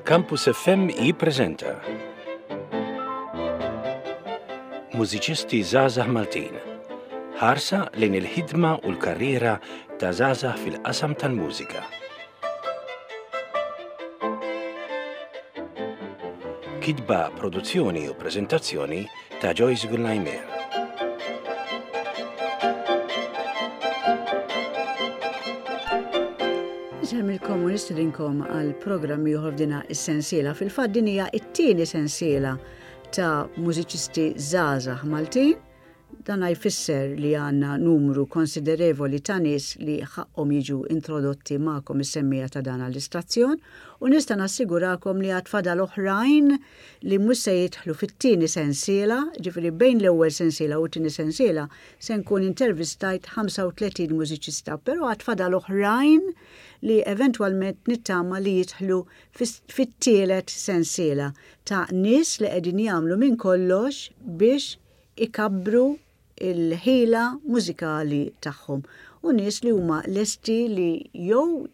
Campus FM jippreżenta Mużiċisti Żgħażagħ Maltin. Ħarsa lejn il-ħidma u l-karriera ta' żgħażagħ fil-qasam tal-mużika. Kitba, produzzjoni u preżentazzjoni ta' Joyce Gullajmer. Nsellmilkom u nistedinkom għal programm ieħor f'dina is-sensiela. Fil-fatt din hija t-tieni sensiela ta' mużiċisti żgħażagħ Maltin. Dan jfisser li għandna numru konsiderevoli ta' nies li ħaqqhom jiġu introdotti magħkom is-semmiegħa ta' dan l-istazzjon u nista' nassigurakom li għad fadal oħrajn li mhux se jidħlu fit-tieni sensiela, jiġifieri bejn l-ewwel sensiela u t-tieni sensiela se nkun intervistajt 35 mużiċista, però għad fadal oħrajn li eventwalment nittama li jidħlu fit-tielet sensiela ta' nies li qegħdin jagħmlu minn kollox biex ikabbru l-ħila mużikali tagħhom u nies li huma lesti li jew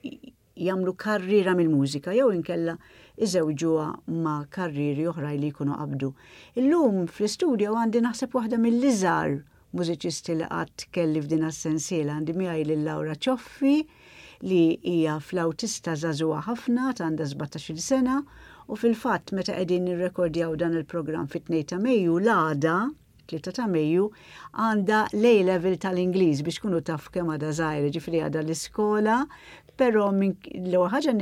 jagħmlu karriera mill-mużika jew inkella iżewġuha ma' karrieri oħrajn li jkunu qabdu. Illum fl-istudio għandi naħseb waħda mill-iżgħar mużiċisti li qatt kelli f'din as-sensiela. Għandi miegħi lil Laura Cioffi li hija flawtista żagħżugħa ħafna ta' għandha 17-il sena u fil-fatt meta qegħdin nirrekordjaw dan il-programm fit-2 ta' Mejju l-għada 3 ta' Mejju, għandha l-A level tal-Ingliż biex tkunu taf kemm għadha żgħira, ġifieri għadha l-iskola, però minn l-ewwel ħaġa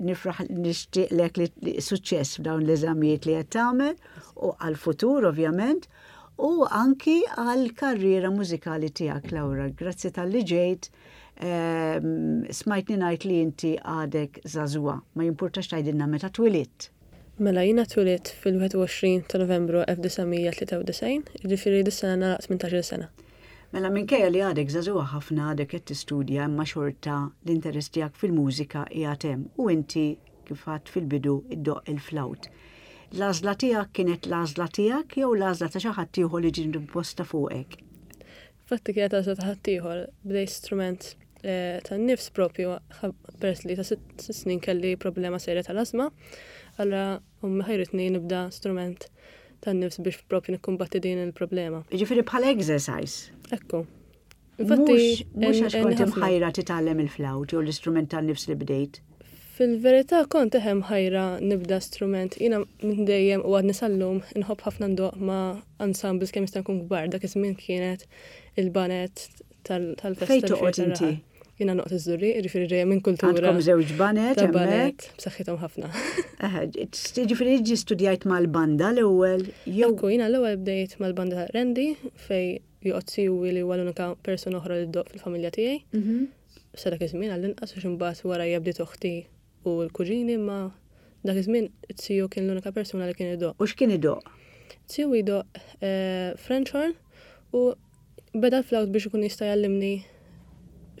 nifraħ nixtieqlek li suċċess f'dawn l-eżamijiet li qed tagħmel u għall-futur ovvjament u anki għall-karriera mużikali tiegħek Laura. Grazzi talli ġejt. Ehm, smajtni ngħid li inti għadek żagħżugħa, ma jimpurtax tgħidilna meta twilidt. Mela jiena twilidt fil-21 ta' Novembru 1993, jiġifieri dis-sena nagħlaq 18-il sena. Mela minkejja li għadek żagħżugħa ħafna għadek qed tistudja imma xorta l-interess tiegħek fil-mużika qiegħed hemm u inti kif għedt fil-bidu ddoqq il-flawt. L-għażla tiegħek kienet l-għażla tiegħek jew l-għażla ta' xi ħadd ieħor li ġiet imposta fuqek? Fatti kienet għażla ta' ħaddieħor, bdejt strument eh, tan-nifs propju peress li ta' sitt snin kelli problema serja tal-asma, allura ommi ħajritni nibda strument tan-nifs biex propju nikkumbatti din il-problema. Ġifieri bħala exercise. Ekku. Infatti, mhux għax kont imħajra titgħallem il-flawt jew l-istrument tan-nifs li bdejt. Fil-verità kont eħe mħajra nibda strument. Jiena minn dejjem u għadni sal-lum inħobb ħafna ndoqq ma' ensembles kemm jista' jkun kbar. Dak iż-żmien kienet il-banet tal-festa. Fejn toqgħod inti? Jiena noqgħod iż-Żurrieq, jiġifieri ġejja minn kultura. Għandkom żewġ banet Ta' banet b'saħħithom ħafna. Eħe, jiġifieri ġi studjajt mal-banda l-ewwel jew. Ekku, jiena l-ewwel bdejt mal-banda ta' Randy fejn joqgħod siwi li huwa l-unika persuna oħra li ddoqq fil-familja tiegħi. Mhm. Sa dak iż-żmien għall-inqas għax imbagħad warajja bdiet oħti u l-kuġini imma dak iż-żmien it-tiju kien l-unika persuna li kien idoqq. U x'kien idoqq? Tiju jdoqq eh, French horn u beda l-flawt biex ikun jista' jgħallimni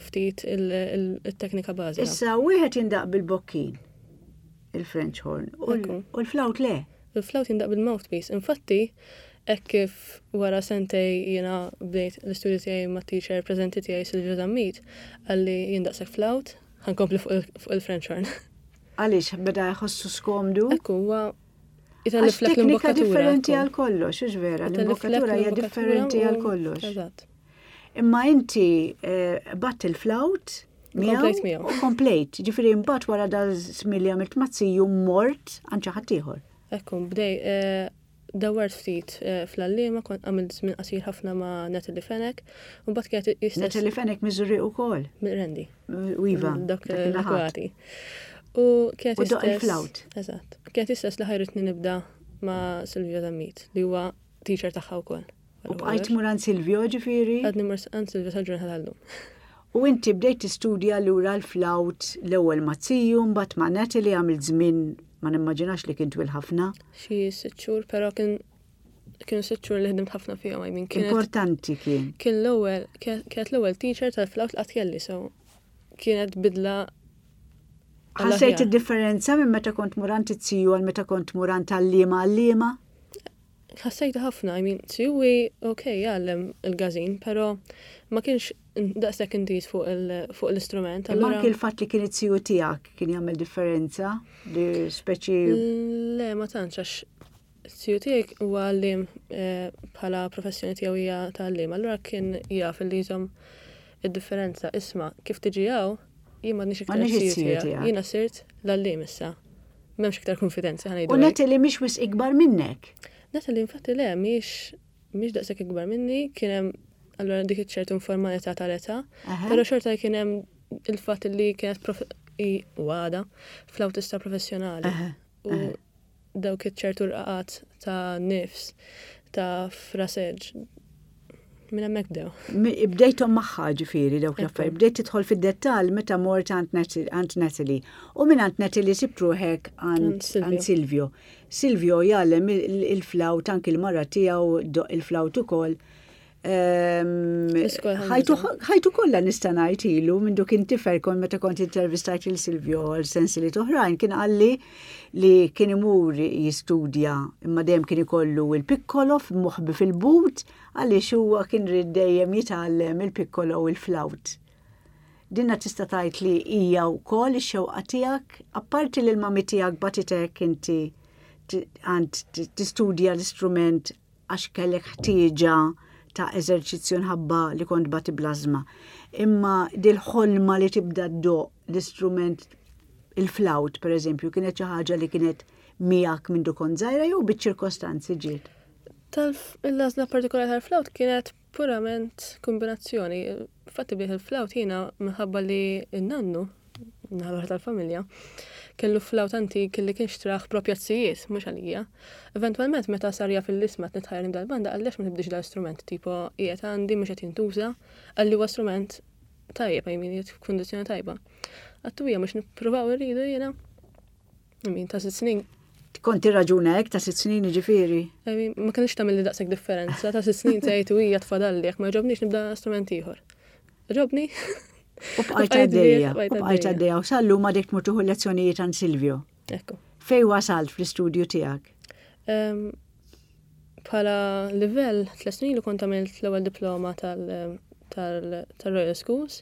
ftit il-teknika bażika. Issa wieħed jindaq bil-bokkin il-French horn u l-flawt le. Il-flawt jindaqq bil-mouthpiece. Infatti, hekk kif wara sentej jiena bdejt l-istudju tiegħi mat-teacher preżenti tiegħi Silvio Zammit, qalli jien daqshekk flawt, ħa nkompli fuq il-French horn. Għaliex beda jħossu skomdu? Ekku, huwa Għax teknika differenti għal kollox, hux vera, l-imbokkatura hija differenti għal kollox. Eżatt. Imma inti eh, bat il-flawt miegħu u komplejt, ġifieri mbagħad wara da żmien li għamilt mazziju mort għand xi ħadd ieħor. Ekku, bdej, eh, dawart ftit eh, fl-għalliema, kont għamilt żmien qasir ħafna ma' Natalie Fenech, u mbagħad kienet istess. Natalie Fenech Miżuri wkoll. Randy. U iva. Dak l-akwati. U kienet istess. il-flawt. Eżatt. Kienet istess li ħajritni nibda ma' Silvia Zammit, li huwa teacher tagħha wkoll. U bqajt tmur għand Silvio ġifieri? Għadni mur għand Silvio sal-ġurnata tal-lum. U inti bdejt tistudja lura l-flawt l-ewwel ma' Ziju, mbagħad ma' Natalie għamilt żmien ma nimmaġinax li kien twil ħafna. Xi sitt xhur, però kien kienu sitt xhur li ħdimt ħafna fihom, I mean, kienet Importanti kien. Kien l-ewwel, kienet l-ewwel teacher tal-flawt li qatt kelli, so kienet bidla Ħassejt id-differenza minn meta kont mur għand it-ziju għal meta kont mur għand għalliema għalliema? Ħassejtu ħafna, I mean, Siwi, ok, jgħallem il-gazin, pero ma kienx daqshekk intiż fuq l-istrument. Imma anki l-fatt li kien it-tiju tiegħek kien jagħmel differenza li speċi. Le, ma tantx għax it-tiju tiegħi huwa għalliem eh, bħala professjoni tiegħu hija ta' għalliem, allura kien jaf li jżomm id-differenza. Isma' kif tiġi hawn, jien m'għadniex iktar it-tiju tiegħek. Jiena sirt l-għalliem issa. M'hemmx iktar konfidenza ħa ngħidu. U Natalie mhix wisq ikbar minnek. Natalie infatti le mhix mhix daqshekk ikbar minni, kien hemm allura dik iċ-ċertu informalità tal-età, però xorta kien hemm il-fatt li kienet u għada fl-awtista professjonali. U dawk iċ-ċertu rqaqat ta' nifs, ta' fraseġġ, minn hemmhekk bdew. Bdejthom magħha ġifieri dawk l-affarijiet, bdejt tidħol fid-dettall meta mort għand Natalie. U minn għand Natalie sibt ruħek għand Silvio. Silvio jgħallem il-flawt anki l-mara tiegħu ddoqq il-flawt ukoll. Ehm, ħajtu kollha nista' ngħid ilu minn kien tifel kont meta kont intervistajt il Silvio għal sensili oħrajn kien qalli li kien imur jistudja imma dejjem kien ikollu il-piccolo moħbi fil-but għaliex huwa kien rid dejjem jitgħallem il-piccolo u l-flawt. Dinna tista' tgħid li hija wkoll ix-xewqa tiegħek, apparti li l-mami tiegħek bagħtitek inti għand tistudja l-istrument għax kellek ħtieġa ta' eżerċizzju nħabba li kont bati blażma. Imma dil-ħolma li tibda ddoq l-istrument il-flawt, per eżempju, kienet xi ħaġa li kienet miegħek minn kont żgħira jew biċ-ċirkostanzi ġiet? Tal-għażla partikolari tal-flawt kienet Purament kombinazzjoni. Infatti bdejt il-flawt jiena minħabba li n-nannu, naħa l-oħra tal-familja, kellu flawt antik li kien xtrah propja t-sijiet, mhux għalija. Eventwalment meta sar jaf il-isma qed nitħajjar nibda l-banda qalli għax ma tibdix dal-istrument, tipo qiegħed għandi mhux qed jintuża, qalli huwa strument tajjeb, I mean qiegħed f'kundizzjoni tajba. Għattu hija mhux nippruvaw irridu jiena. Min ta' sitt snin. Kont tirraġuna hekk ta' sitt snin jiġifieri? Ma kienx tagħmel li daqshekk differenza, ta' sitt snin tgħid u hija tfadalli jekk ma jogħġobnix nibda strument ieħor. Ġobni. U bqajt għaddejja, u bqajt għaddejja u sal-lum għadek tmur tieħu lezzjonijiet għand Silvio. Ekku. Fej wasalt fl-istudju tiegħek? Bħala livell, tlet snin li kont għamilt l-ewwel diploma tal-Royal Schools.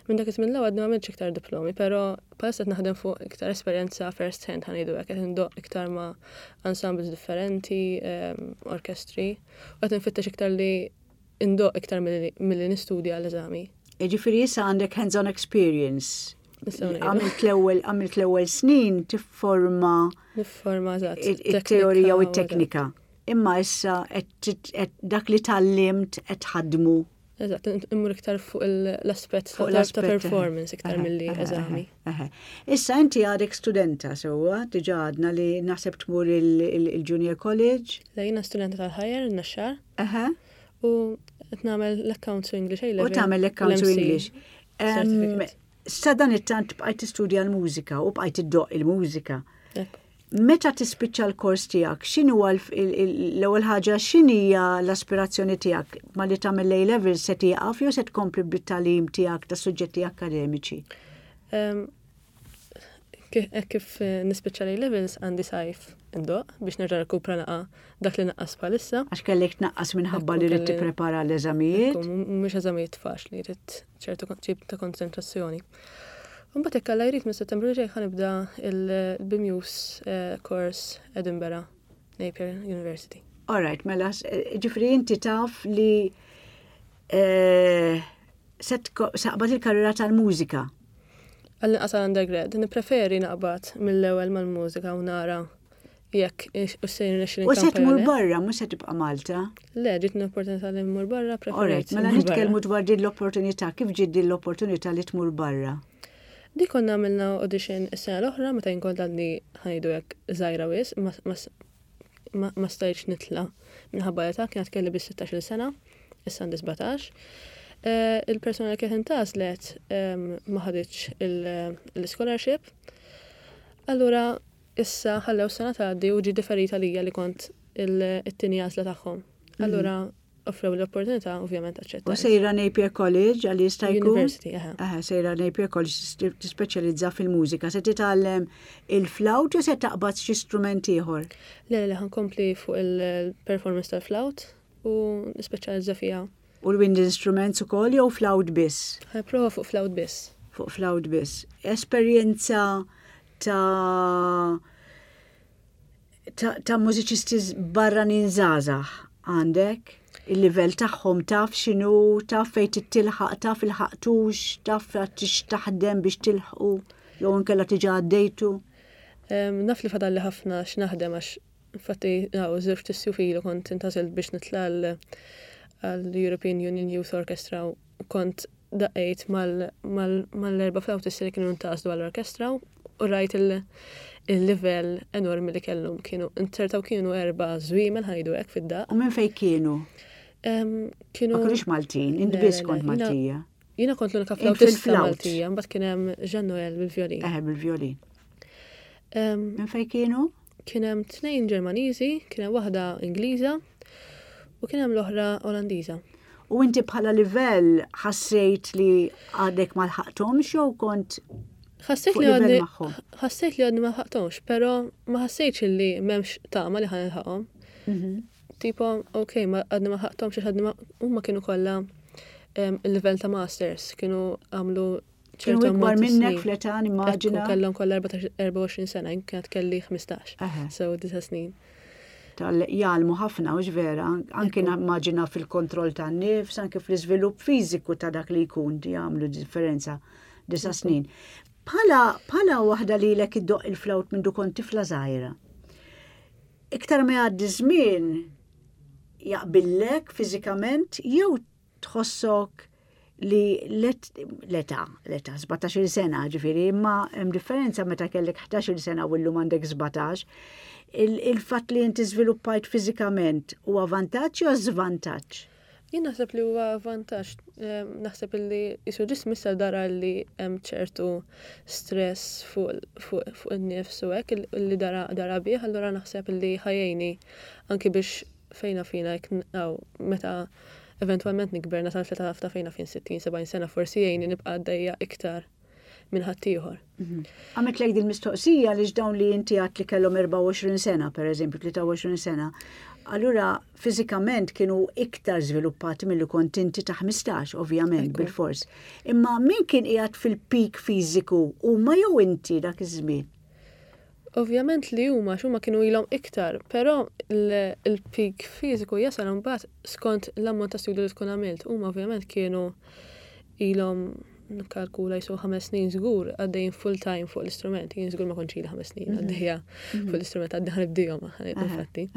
Minn dak iż-żmien l għadni ma għamiltx iktar diplomi, però bħalissa qed naħdem fuq iktar esperjenza first hand ħa ngħidu hekk, qed indoqq iktar ma' ensembles differenti, ehm, orkestri, u qed nfittex iktar li indoqq iktar milli nistudja l-eżami. Jiġifieri issa għandek hands-on experience. Għamilt l-ewwel għamilt l-ewwel snin tifforma Nifforma eżatt. It-teorija u t-teknika. Imma issa dak li tgħallimt qed tħaddmu. Eżatt, immur iktar fuq l-aspett ta' performance iktar milli eżami. Issa inti għadek studenta sewwa, diġà għadna li naħseb tmur il-Junior College. Le jiena studenta tal-Higher in-Naxxar. U qed nagħmel l-Accounts u English A level. U tagħmel l-Accounts u English. Sa dan it-tant bqajt tistudja l-mużika u bqajt iddoqq il-mużika. Meta tispiċċa l-kors tiegħek, x'inhu l-ewwel ħaġa x'inhija l-aspirazzjoni tiegħek ma li tagħmel A level se tieqaf jew se tkompli bit-tagħlim tiegħek ta' suġġetti akkademiċi? Hekk kif eh, nispiċċa l levels għandi sajf indoq biex nerġa' rkupra naqa' dak li naqqas bħalissa. Għax kellek tnaqqas minħabba li rrid tipprepara l-eżamijiet. Mhux eżamijiet faċli, rrid ċertu tip ta' konċentrazzjoni. Mbagħad hekk Alla jrid minn Settembru li ġej ħanibda il-BMUS eh, course Edinburgh Napier University. All right, mela, eh, ġifri inti taf li eh, se taqbad il-karriera tal-mużika. Għall-inqas għal undergrad, nippreferi naqbad mill-ewwel mal-mużika u nara jekk u se jirnexxi U se tmur barra, mhux se tibqa' Malta? Le, ġiet l-opportunità li mmur barra, preferejt. Mela nitkellmu dwar din l-opportunità, kif ġiet din l-opportunità li tmur barra? Di konna għamilna audition is-sena l-oħra meta jien kont għadni ħajdu hekk żgħira wisq, ma stajtx nitla' minħabba l-età, kienet kelli biss 16-il sena, issa għandi 17. Eh, il-persuna li kienet intgħażlet ehm, ma ħaditx l-scholarship. Allura issa ħallew sena tgħaddi u ġie differita lija li kont it-tieni għażla tagħhom. Mhm. Allura offrew l-opportunità, ovvjament aċċettajt. U sejra Napier College għal jista' jkun? University, eħe. Eħe, sejra Napier College tispeċjalizza fil-mużika. Se titgħallem il-flawt jew se taqbad xi strument ieħor? Le, le, ħankompli fuq il-performance tal-flawt u nispeċjalizza fiha. U l-wind instruments ukoll jew flawt biss? Ħa nipprova fuq flawt biss. Fuq flawt biss. Esperjenza ta' ta', ta mużiċisti barranin żgħażagħ għandek? Il-livell tagħhom taf x'inhu, taf fejn tittilħaq, taf il-ħaqtux, taf tix taħdem biex tilħqu, jew inkella tiġa għaddejtu? Naf li fadalli ħafna x'naħdem għax infatti hawn żewġt issjuf ilu kont intgħażilt biex nitla' għall-European Union Youth Orchestra u kont daqqejt mal-erba' flautisti li kienu ntgħażlu għall-orkestra u rajt il-livell enormi li kellhom. Kienu inzertaw kienu erba' żwiemel ħajdu hekk fid-daqq. U minn fejn kienu? Kienu Ma kinux Maltin, int biss kont Maltija. Jiena kont l-unika flautista Maltija, mbagħad kien hemm Jean Noel bil-vjolin. Eh, bil-vjolin. Minn fejn kienu? Kien hemm tnejn Ġermaniżi, kien hemm waħda Ingliża u kien hemm l-oħra Olandiża. U inti bħala livell ħassejt li għadek ma lħaqthomx jew kont Ħassejt li għadni ħassejt li għadni ma lħaqthomx, però ma ħassejtx li m'hemmx tama li ħa nilħaqhom. Mhm. Tipo, ok, ma għadni ma lħaqthomx għax għadni ma huma kienu kollha il-livell ta' masters, kienu għamlu ċertu ikbar minnek fl-età nimmaġina. Kellhom kollha 24 sena, kienet kelli 15. So disa snin. Tal jgħallmu ħafna u vera, anke nimmaġina fil-kontroll tan-nifs, anke fl-iżvilupp fiżiku ta' dak li jkun jagħmlu differenza disa snin. Bħala bħala waħda li lek iddoq il-flawt minn kont tifla żgħira. Iktar ma jgħaddi żmien jaqbillek fiżikament jew tħossok li l-età, l-età 17 sena ġifieri, imma hemm differenza meta kellek 11 sena u llum għandek 17. Il-fatt li inti żviluppajt fiżikament huwa vantaġġ jew żvantaġġ? Jien naħseb li huwa vantaġġ, naħseb li jisu ġismi issa dara li hemm ċertu stress fuq in-nifs u hekk li dara dara bih, allura naħseb li ħajjejni anki biex fejna fina jekk meta eventwalment nikber nasal fl-età ta' fejna fin 60-70 sena forsi jgħinni nibqa' għaddejja iktar minn ħaddieħor. Mhm. Għamilt din mistoqsija li dawn li inti għat li kellhom 24 sena, per eżempju, 23 sena, allura fiżikament kienu iktar żviluppati milli kont inti ta' 15, ovvjament, bil-fors. Imma min kien qiegħed fil-peak fiżiku huma jew inti dak iż-żmien? Ovvjament li huma għax huma kienu ilhom iktar, però l-peak fiżiku jasal imbagħad skont l-ammont ta' studju li tkun għamilt. Huma ovvjament kienu ilhom nikkalkula jisu ħames snin żgur għaddejjin full time fuq l-istrument. Jien żgur ma kontx ili ħames snin mhm. għaddejja mhm. fuq l-istrument għaddi ħanibdihom infatti.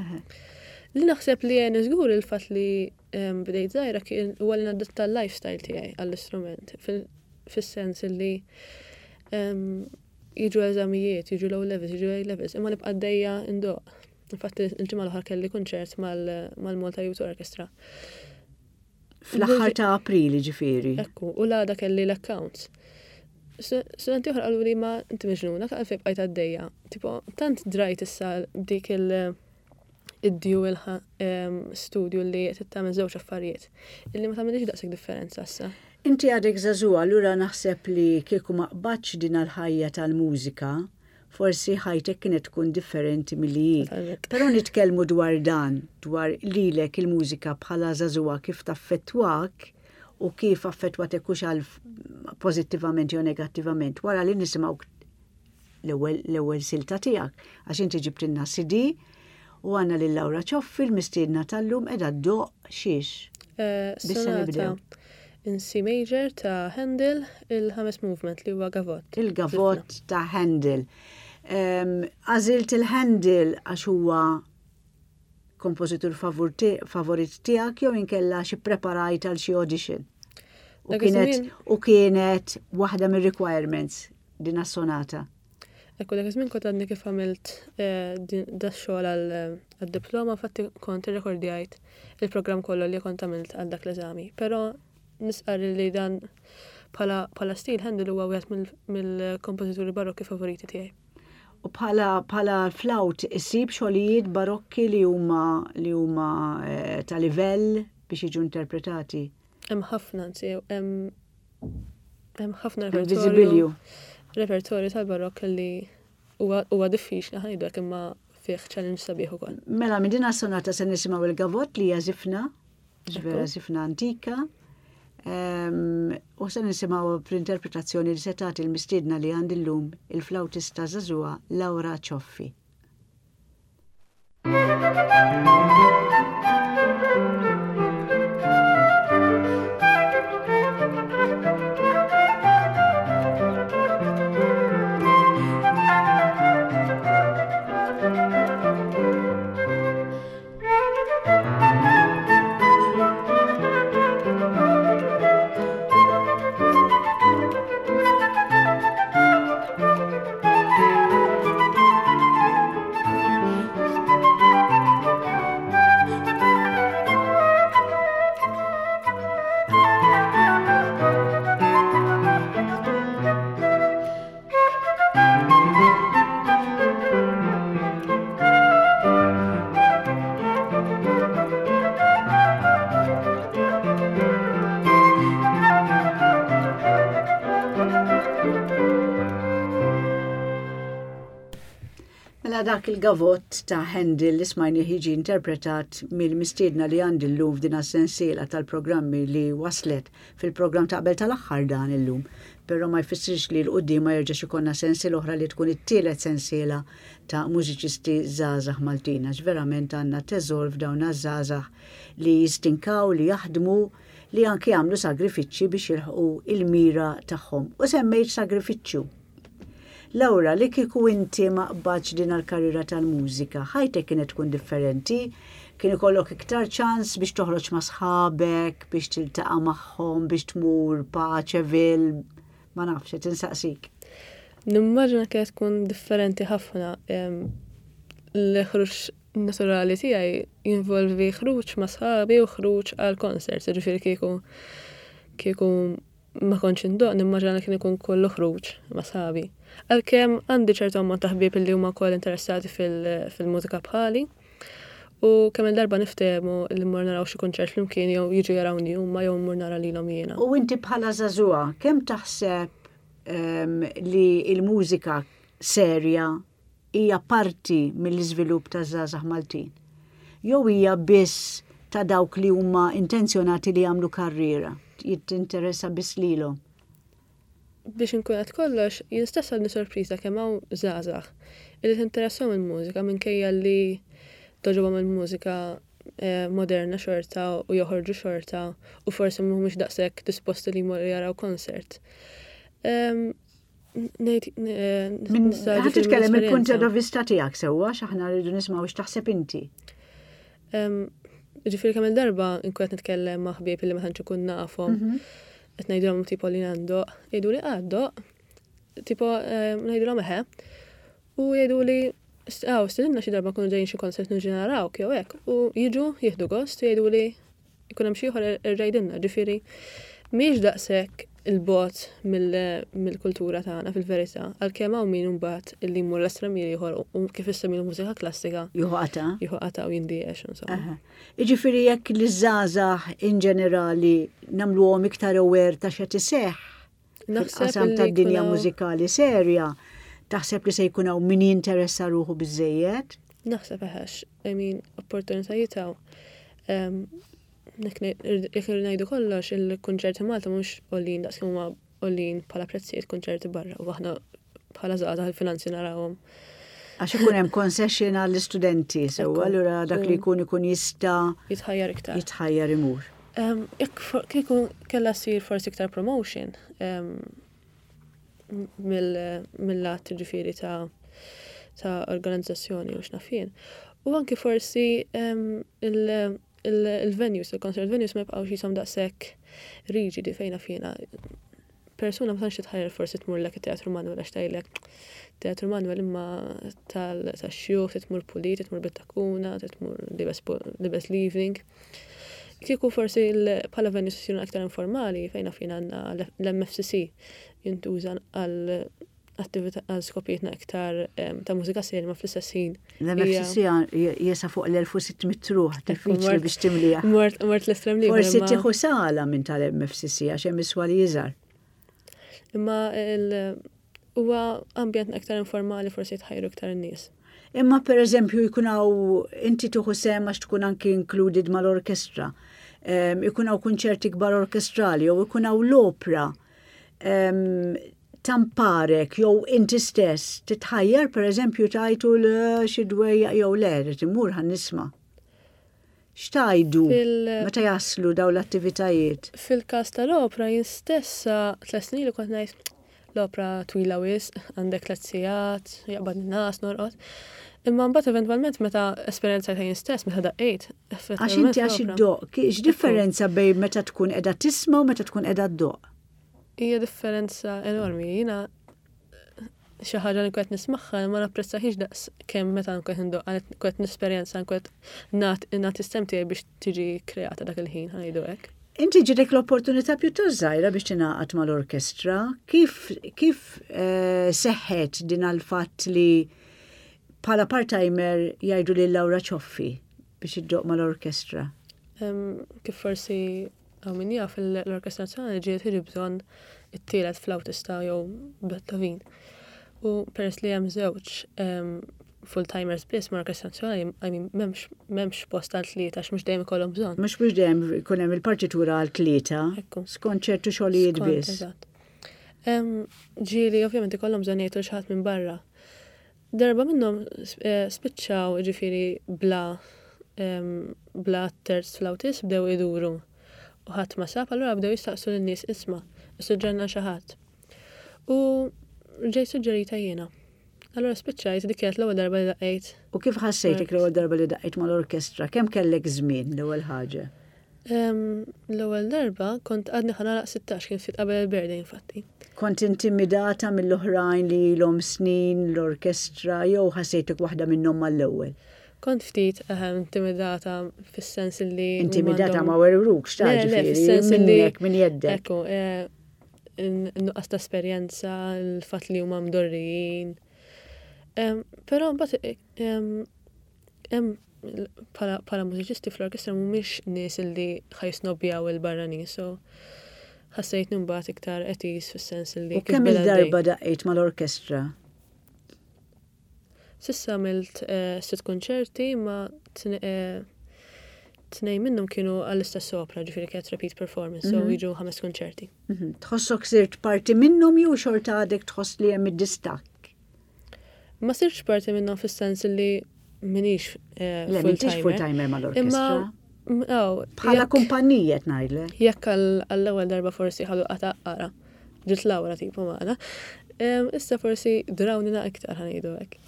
Li naħseb li jien żgur il-fatt li bdejt żgħira kien huwa li nadatta l-lifestyle tiegħi għall-istrument fis-sens li Jiġu eżamijiet, jiġu l-O levels, jiġu A levels, imma nibqa' għaddejja ndoqq. Infatti il-ġimgħa l-oħra kelli kunċert mal-Malta Youth Orchestra. Fl-aħħar ta' April ġifieri. Ekku, u l-għada kelli l-accounts. Studenti oħra qalu li ma inti miġnuna, għalfejn bqajt għaddejja. Tipo, tant drajt issa dik il- id-dual studju li qed tagħmel żewġ affarijiet illi ma tagħmilx daqshekk differenza issa. Inti għadek żagħżugħa allura naħseb li kieku ma qbadtx din għall-ħajja tal-mużika, forsi ħajtek kienet tkun differenti milli hi. Però nitkellmu dwar dan, dwar lilek il-mużika bħala żagħżugħa kif taffettwak u kif affettwatek hux għal pożittivament jew negattivament wara li nisimgħu l-ewwel l-ewwel silta tiegħek għax inti ġibtilna CD u għandna lil Laura Cioffi l-mistiedna tal-lum qiegħda ddoqq xiex. Eh, sonata in C major ta' Handel, il-ħames movement li huwa Gavot. Il-Gavot ta' Handel. Għażilt il-Handel għax huwa kompożitur favorit tiegħek jew inkella xi preparajt għal xi audition. U kienet u kienet waħda mir-requirements din sonata. Ekku dak iż-żmien kont għadni kif għamilt eh, da xogħol għad-diploma, fatti kont irrekordjajt il-programm kollu li kont għamilt għal dak l-eżami. Però nisqar li dan bħala stil Handel huwa wieħed mill-kompożituri barokki favoriti tiegħi. U bħala bħala flawt isib xogħlijiet barokki li huma li huma eh, ta' livell biex jiġu interpretati. Hemm ħafna, anzi, hemm hemm ħafna repertorju. Repertorju tal-barokk li huwa diffiċli ħajdu imma fih challenge sabiħ ukoll. Mela minn din sonata se nisimgħu il-gavot li hija żifna. Vera żifna antika. U se nisimgħu fl-interpretazzjoni li se tagħti l-mistiedna li għandi llum il-flautista żagħżugħa Laura Cioffi. Mela dak il-gavott ta' Handel li smajni jiġi interpretat mill-mistiedna li għandi llum f'din sensiela tal-programmi li waslet fil-programm ta' qabel tal-aħħar dan illum. Però ma jfissirx li 'l quddiem ma jerġax ikollna sensiela oħra li tkun it-tielet sensiela ta' mużiċisti żgħażagħ Maltin għax verament għandna teżor f'dawn għaż-żgħażagħ li jistinkaw, li jaħdmu, li anki jagħmlu sagrifiċċji biex jilħqu il-mira tagħhom. U semmejt sagrifiċċju. Laura, li kieku inti ma qbadx din għall-karriera tal-mużika, ħajtek kienet tkun differenti? Kien ikollok iktar ċans biex toħroġ ma' sħabek, biex tiltaqa' magħhom, biex tmur Paċeville, ma nafx, qed insaqsik. Nimmaġina kienet tkun differenti ħafna. L-ħruġ naturali tiegħi jinvolvi ħruġ ma' sħabi u ħruġ għal concerts, ġifieri kieku kieku ma kontx indoqq nimmaġina li kien ikun kollu ħruġ ma' sħabi. Għalkemm għandi ċertu ammont ta' ħbieb li huma wkoll interessati fil-mużika bħali. U kemm il-darba niftehmu li mmur naraw xi kunċert flimkien jew jiġu jarawni huma jew mmur nara lilhom jiena. U inti bħala żagħżugħa kemm taħseb ehm, li l-mużika serja hija parti mill-iżvilupp taż-żgħażagħ Maltin? Jew hija biss ta' dawk li huma intenzjonati li jagħmlu karriera, jittinteressa biss lilhom? Biex inkun qed kollox, jien stess għadni sorpriża kemm hawn żgħażagħ illi tinteressahom il-mużika minkejja li togħġobhom il-mużika eh, moderna xorta u joħorġu xorta u forsi mhumiex daqshekk disposti li jmorru jaraw concert. Ngħid eh, Ħa titkellem mill-punt ta' vista tiegħek sewwa x'aħna rridu nismgħu x'taħseb inti. Ġifieri kemm il-darba nkun qed nitkellem ma' ħbieb li ma tantx ikun nafhom. Mhm. Qed ngħidulhom tipo li għandoq, jgħidu li għaddoq, tipo ngħidulhom eħe. U jgħidu li Aw, stedinna xi darba nkunu ġejjin xi konsert niġu narawk jew hekk. U jiġu jieħdu gost u jgħidu li Ikun hemm xi ieħor erġa' jgħidilna, ġifieri mhijiex daqshekk 'il bogħod mill-kultura tagħna fil-verità, għalkemm hawn min imbagħad illi jmur l-estrem ieħor u kif issemmi l-mużika klassika. Jieħu qatgħa. Jieħu qatgħa u jindiex insomma. Jiġifieri jekk liż-żgħażagħ in ġenerali nagħmluhom iktar aware ta' x'qed iseħħ fil-qasam tad-dinja mużikali serja, taħseb li se jkun hawn min jinteressa ruħu biżżejjed? Naħseb eħex, I mean, opportunitajiet hawn. Jekk ngħidu kollox, il-kunċerti Malta mhux għoljin daqs kemm huma għoljin bħala prezzijiet kunċerti barra u aħna bħala żgħażagħ il-finanzi narawhom. Għax ikun hemm concession għall-istudenti, sew allura dak li jkun ikun jista' jitħajjar iktar. Jitħajjar imur. Jekk kieku kellha ssir forsi iktar promotion mill-lat ġifieri ta' ta' organizzazzjoni u x'naf jien. U anki forsi il-venues, il-concert venues ma jibqgħux jisom daqshekk riġidi fejn naf jiena. Persuna ma tantx titħajjar forsi tmurlek it-Teatru Manuel għax tgħidlek Teatru Manuel imma tax-xjuħ titmur pulit, titmur bit-takuna, titmur libes l-evening. Kieku forsi bħala venues isiru aktar informali fejn naf jien għandna l-MFCC jintuża għal attività għal skopijietna iktar ta' mużika serja ma fl-istess ħin. L-MFCC jesa fuq l-1600 ruħ, diffiċli biex timlija. Mort l-estrem li. Forsi tieħu sala minn tal-MFCC għax hemm iswa li jiżar. Imma huwa ambjent aktar informali forsi jitħajru iktar in-nies. Imma per eżempju jkun hawn inti tieħu sehem għax tkun anki included mal-orkestra. Ikun hawn kunċerti kbar orkestrali jew ikun hawn l-opra. Tamparek jew inti stess titħajjar pereżempju tajtu l xi dwejjaq jew le, rrid immur ħa nisma'. X'tgħidu meta jaslu dawn l-attivitajiet? Fil-każ tal-opra jien stess sa tliet snin ilu kont ngħid l-opra twila wisq, għandek tliet sigħat, jaqbadni ngħas, norqod. Imma mbagħad eventwalment meta esperjenzajtha jien stess, meta daqqejt, Għax inti għax iddoqq, x'differenza bejn meta tkun qiegħda tisma' u meta tkun qiegħda ddoqq? Hija differenza enormi. Jiena xi ħaġa li nkun qed nismagħha ma napprezzahiex daqs kemm meta nkun qed indoqqa, nkun qed nesperjenza, nkun qed nagħti s-sehem tiegħi biex tiġi kreata dak il-ħin, ħa ngħidu hekk. Inti ġitek l-opportunità pjuttost żgħira biex tingħaqad mal-orkestra. Kif, kif eh, seħħet din għall-fatt li bħala part-timer jgħidu lil Laura Cioffi biex iddoq mal-orkestra? Kif forsi Hawn min jaf l-Orkestra Nazzjonali ġiet tiġi bżonn it-tielet flautista jew Beethoven. U peress li hemm żewġ full-timers biss mal-Orkestra Nazzjonali, I mean, m'hemmx m'hemmx post għal tlieta għax mhux dejjem ikollhom bżonn. Mhux mhux dejjem ikun hemm il-partitura għal tlieta. Ekku. Skont ċertu xogħlijiet biss. Eżatt. Ġieli ovvjament ikollhom bżonn jgħidu xi ħadd minn barra. Darba minnhom spiċċaw jiġifieri bla bla terz fl-awtist bdew iduru u ħadd ma sab, allura bdew jistaqsu lin-nies isma' issuġġerna xi ħadd. U ġejt suġġerita jiena. Allura spiċċajt dik kienet l-ewwel darba li daqqejt. U kif ħassejtek l-ewwel darba li daqqejt mal-orkestra? Kemm kellek żmien l-ewwel ħaġa? L-ewwel darba kont għadni ħa nagħlaq 16 kien ftit qabel il-birthday infatti. Kont intimidata mill-oħrajn li ilhom snin l-orkestra jew ħassejtek waħda minnhom mal-ewwel? Kont ftit intimidata fis-sens li. Intimidata ma werwrukx ta' ġifieri minnek minn jeddek. Ekku, nuqqas ta' esperjenza, il-fatt li huma mdorrijin. Però mbagħad hemm bħala mużiċisti fl-orkestra mhumiex nies li ħa jisnobbjaw il-barranin, so ħassejtni mbagħad iktar at ease fis-sens li. U kemm il-darba daqqejt mal-orkestra? S'issa għamilt eh, sitt konċerti ma eh, tnejn minnhom kienu għall-istess opra, ġifieri kienet repeat performance, so mhm. jiġu ħames konċerti. Mhm. Tħossok sirt parti minnhom jew xorta għadek tħoss li hemm id-distakk? Ma sirtx parti minnhom fis-sens li minix eh, Le, m'intix full-timer mal-orkestra. Bħala kumpanija qed ngħidlek. Jekk għall-ewwel darba forsi ħadu qata qara. Ġiet Laura tipo magħna. Issa forsi drawni na iktar ħanejdu hekk.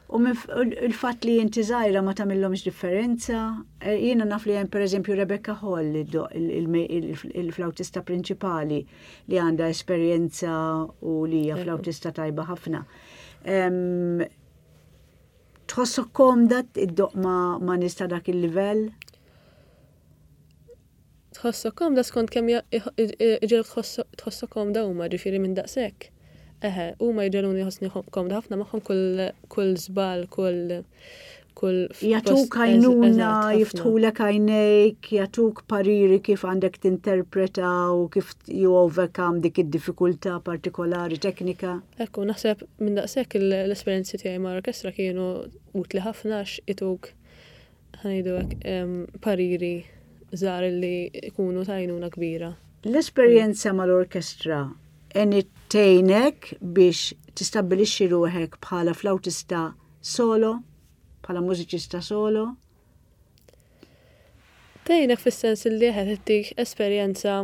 U il-fatt li inti żgħira ma tagħmilhomx differenza, eh, jiena naf li hemm pereżempju Rebecca Hall il-flautista prinċipali li għandha esperjenza u li hija flautista tajba ħafna. Tħossok komda iddoq ma' nies ta' dak il-livell? Tħossok komda skont kemm iġegħluk tħossok komda huma, ġifieri minn daqshekk. Eħe, huma jġegħluni nħossni komda ħafna magħhom kull kull żball, kull kull Jagħtuk għajnuna, jiftħulek għajnejk, jagħtuk pariri kif għandek tinterpreta u kif you overcome dik id-diffikultà partikolari teknika. Ekku, naħseb minn daqshekk l-esperjenzi tiegħi ma' orkestra kienu utli ħafna għax ituk ħa ngħidu hekk, pariri żgħar li jkunu ta' għajnuna kbira. L-esperjenza mal-orkestra għenit tgħinek biex tistabbilixxi ruħek bħala flautista solo, bħala mużiċista solo? Tgħinek fis-sens li qed ittik esperjenza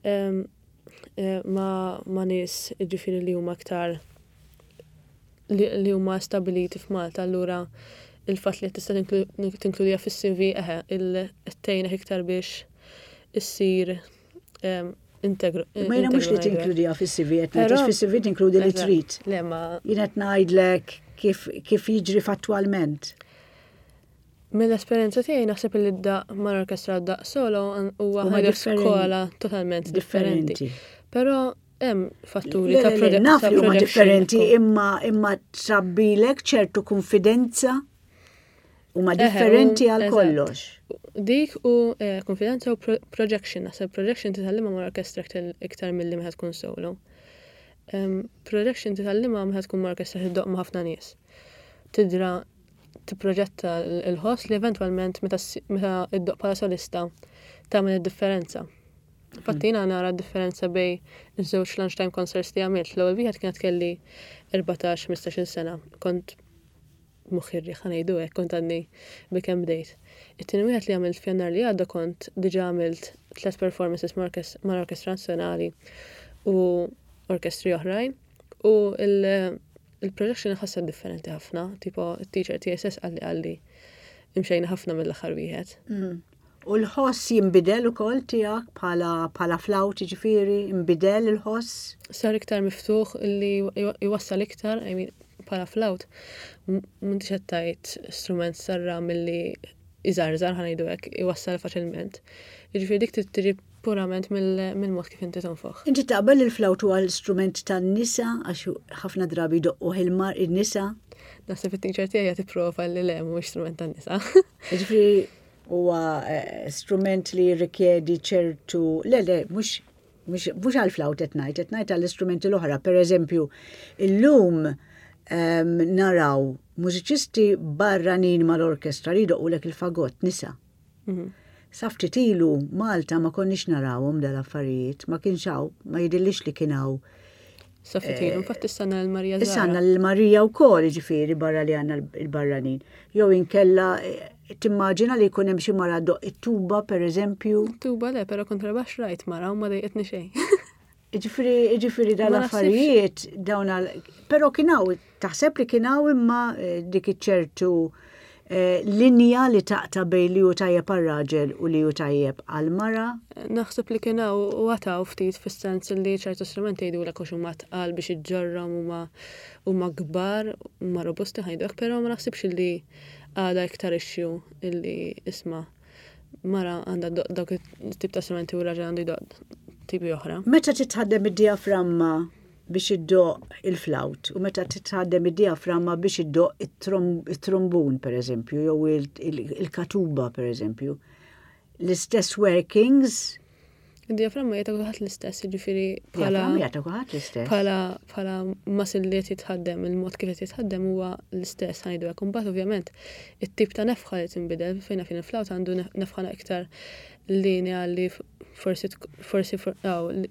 eh, ma' ma' nies jiġifieri li huma aktar li huma stabbiliti f'Malta allura il-fatt li tista' tinkludiha fis-CV eħe tgħinek iktar biex issir integru. Ma jiena mhux li tinkludiha fis-CV qed ngħid fis-CV tinkludi li trid. Le ma. Jien qed ngħidlek kif kif jiġri fattwalment. Mill-esperjenza tiegħi naħseb li d-daqq mal-orkestra d-daqq solo huwa ħaġa skola totalment differenti. Però hemm fatturi ta' proġett. Naf li huma differenti imma imma trabbilek ċertu konfidenza huma differenti għal kollox. Dik u eh, konfidenza u projection, naħseb projection titgħallimha mal-orkestra iktar milli meta tkun solo. Projection titgħallimha meta tkun mal-orkestra tiddoq ma' ħafna nies. Tidra. tipproġetta l-ħoss li eventwalment meta iddoqq bħala solista tagħmel id-differenza. Infatti jiena nara d-differenza bejn iż-żewġ lunchtime concerts li għamilt. L-ewwel wieħed kienet kelli 14-15-il sena. Kont moħħi r-riħ ħa ngħidu hekk, kont għadni bilkemm bdejt. It-tieni wieħed li għamilt f'Jannar li għadda kont diġà għamilt tliet performances mal-Orkestra Nazzjonali u orkestri oħrajn u il-projection ħassa differenti ħafna, tipo it-teacher tiegħi stess qalli qalli imxejna ħafna mill-aħħar wieħed. U l-ħoss jinbidel ukoll tiegħek bħala bħala flawt jiġifieri, inbidel il-ħoss? Sar iktar miftuħ li jwassal iktar, I mean, bħala flawt, m'intix qed tgħid strument sarra milli iżarżar ħa ngħidu hekk, iwassal faċilment. Jiġifieri dik trid tiġi purament mill-mod kif inti tonfoħ. Inti taqbel li l-flawt huwa l-istrument tan-nisa għax ħafna drabi jdoqquh il-nisa? Naħseb it-teacher tiegħi qed tipprova li le mhuwiex strument tan-nisa. Jiġifieri huwa eh, strument li jirrikjedi ċertu le le mhux mhux għall-flawt qed ngħid, qed ngħid għall-istrumenti l-oħra. Per eżempju, illum ehm, naraw mużiċisti barranin mal-orkestra li jdoqqulek il-fagott nisa. Mhm. Sa ftit ilu Malta ma konniex narawhom dal-affarijiet, ma kienx hawn, ma jidhirlix li kien hawn. Sa ftit ilu, infatti issa għandna l-Marija Issa għandna l-Marija wkoll, jiġifieri barra li għandna l-barranin. Jew inkella eh, timmaġina li jkun hemm xi mara doq it-tuba pereżempju. Tuba le, però kontrabaxx rajt mara u ma dejqitni xejn. Ġifieri, ġifieri dal-affarijiet dawn għal. Però kien hawn, taħseb li kien hawn imma eh, dik iċ-ċertu eh, linja li taqta' bejn li hu tajjeb għar-raġel u li hu tajjeb għall-mara? Naħseb li kien hawn u għad hawn ftit fis-sens li ċertu strumenti jgħidulek għax huma tqal biex iġġorrhom huma huma kbar, huma robusti ħa ngħidu hekk, però ma naħsibx li għadha iktar issue illi isma' mara għandha ddoqq dawk it-tip ta' strumenti u raġel għandu jdoqq tipi oħra. Meta titħaddem id-dijaframma biex iddoqq il-flawt u meta titħaddem id-dijaframma biex iddoqq it-trumbun pereżempju jew il-katuba pereżempju, l-istess workings Id-diaframma hija ta' kulħadd l-istess, jiġifieri bħala. Diaframma hija ta' kulħadd l-istess. Bħala bħala muscle li qed jitħaddem, il-mod kif qed jitħaddem huwa l-istess ħa ngħidu hekk. Imbagħad ovvjament it-tip ta' nefħa li tinbidel fejn fin il-flawt għandu nefħa iktar linea li forsi forsi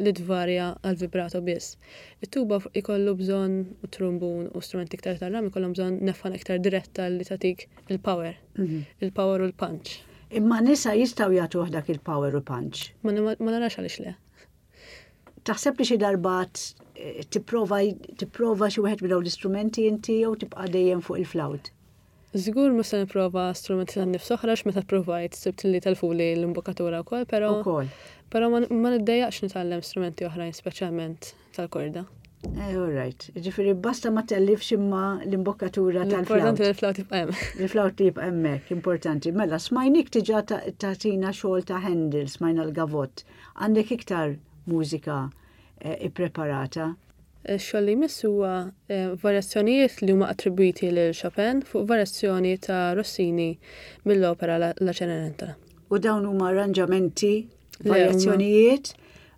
li tvarja għal vibrato biss. It-tuba jkollu bżonn u trumbun u strumenti iktar tar-ram ikollhom bżonn nefħa iktar diretta li tagħtik il-power. Mhm. Il-power u l-punch. Imma nisa jistgħu jagħtuh dak il-power u punch. Ma narax għaliex le. Taħseb li xi darba tipprova tipprova xi wieħed minn dawn l-istrumenti inti jew tibqa' dejjem fuq il-flawt? Żgur mhux se nipprova strumenti tan-nifs oħra għax meta ppruvajt sibt li telfuli l-imbokkatura wkoll, però Ukoll. Però ma niddejjaqx nitgħallem strumenti oħrajn speċjalment tal-korda. Eh, all right. Ġifieri basta ma tellifx imma l-imbokkatura tal-flawt. Importanti li l-flawt jibqa' hemm. Il-flawt jibqa' hemmhekk, importanti. Mela, smajnik diġà tagħtina xogħol ta' Handel, smajna l-gavott. Għandek iktar mużika eh, ippreparata? Ix-xogħol li jmiss huwa eh, varjazzjonijiet li huma attribwiti lil Chopin fuq varjazzjoni ta' Rossini mill-opera La Cenerentola. U dawn huma arranġamenti Varjazzjonijiet,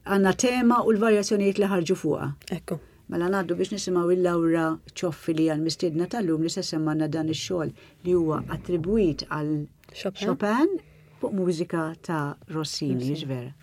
għandna tema u l-varjazzjonijiet li ħarġu fuqha. Ekku. Mela ngħaddu biex nisimgħu il Laura Cioffi li hija l-mistiedna tal-lum li se semmanna dan ix-xogħol li huwa attribwit għal Chopin fuq mużika ta' Rossini, vera.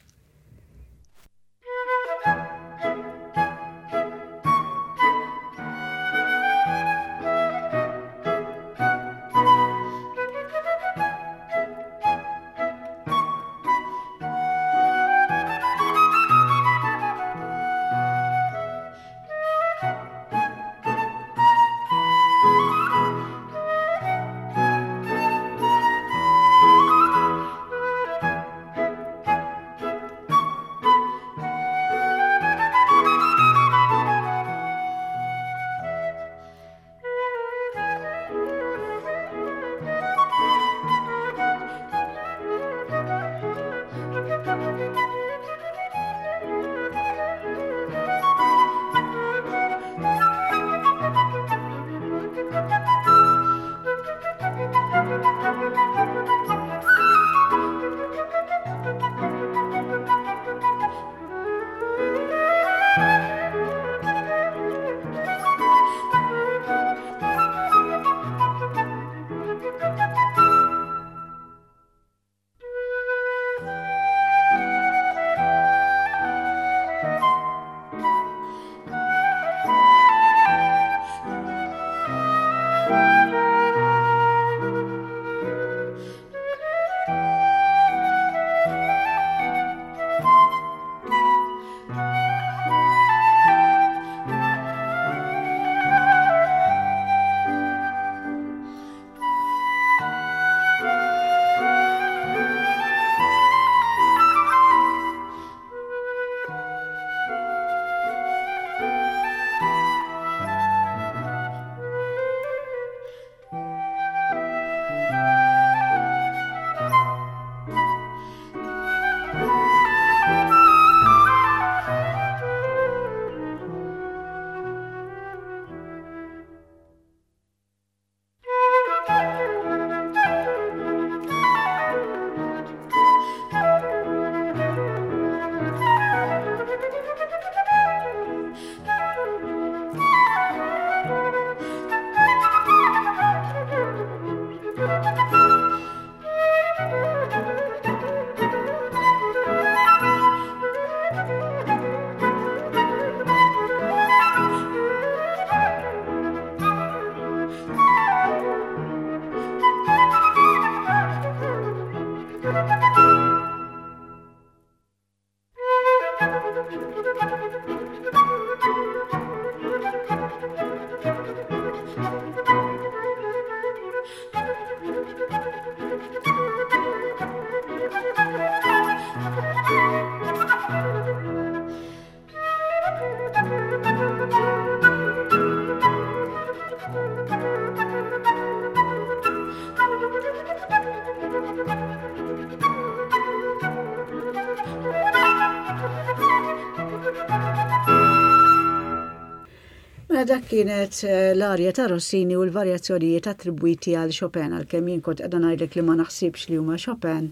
Mela dak kienet eh, l-arja ta' Rossini u l-varjazzjonijiet attribwiti għal Chopin għalkemm jien kont qiegħda ngħidlek li ma naħsibx li huma Chopin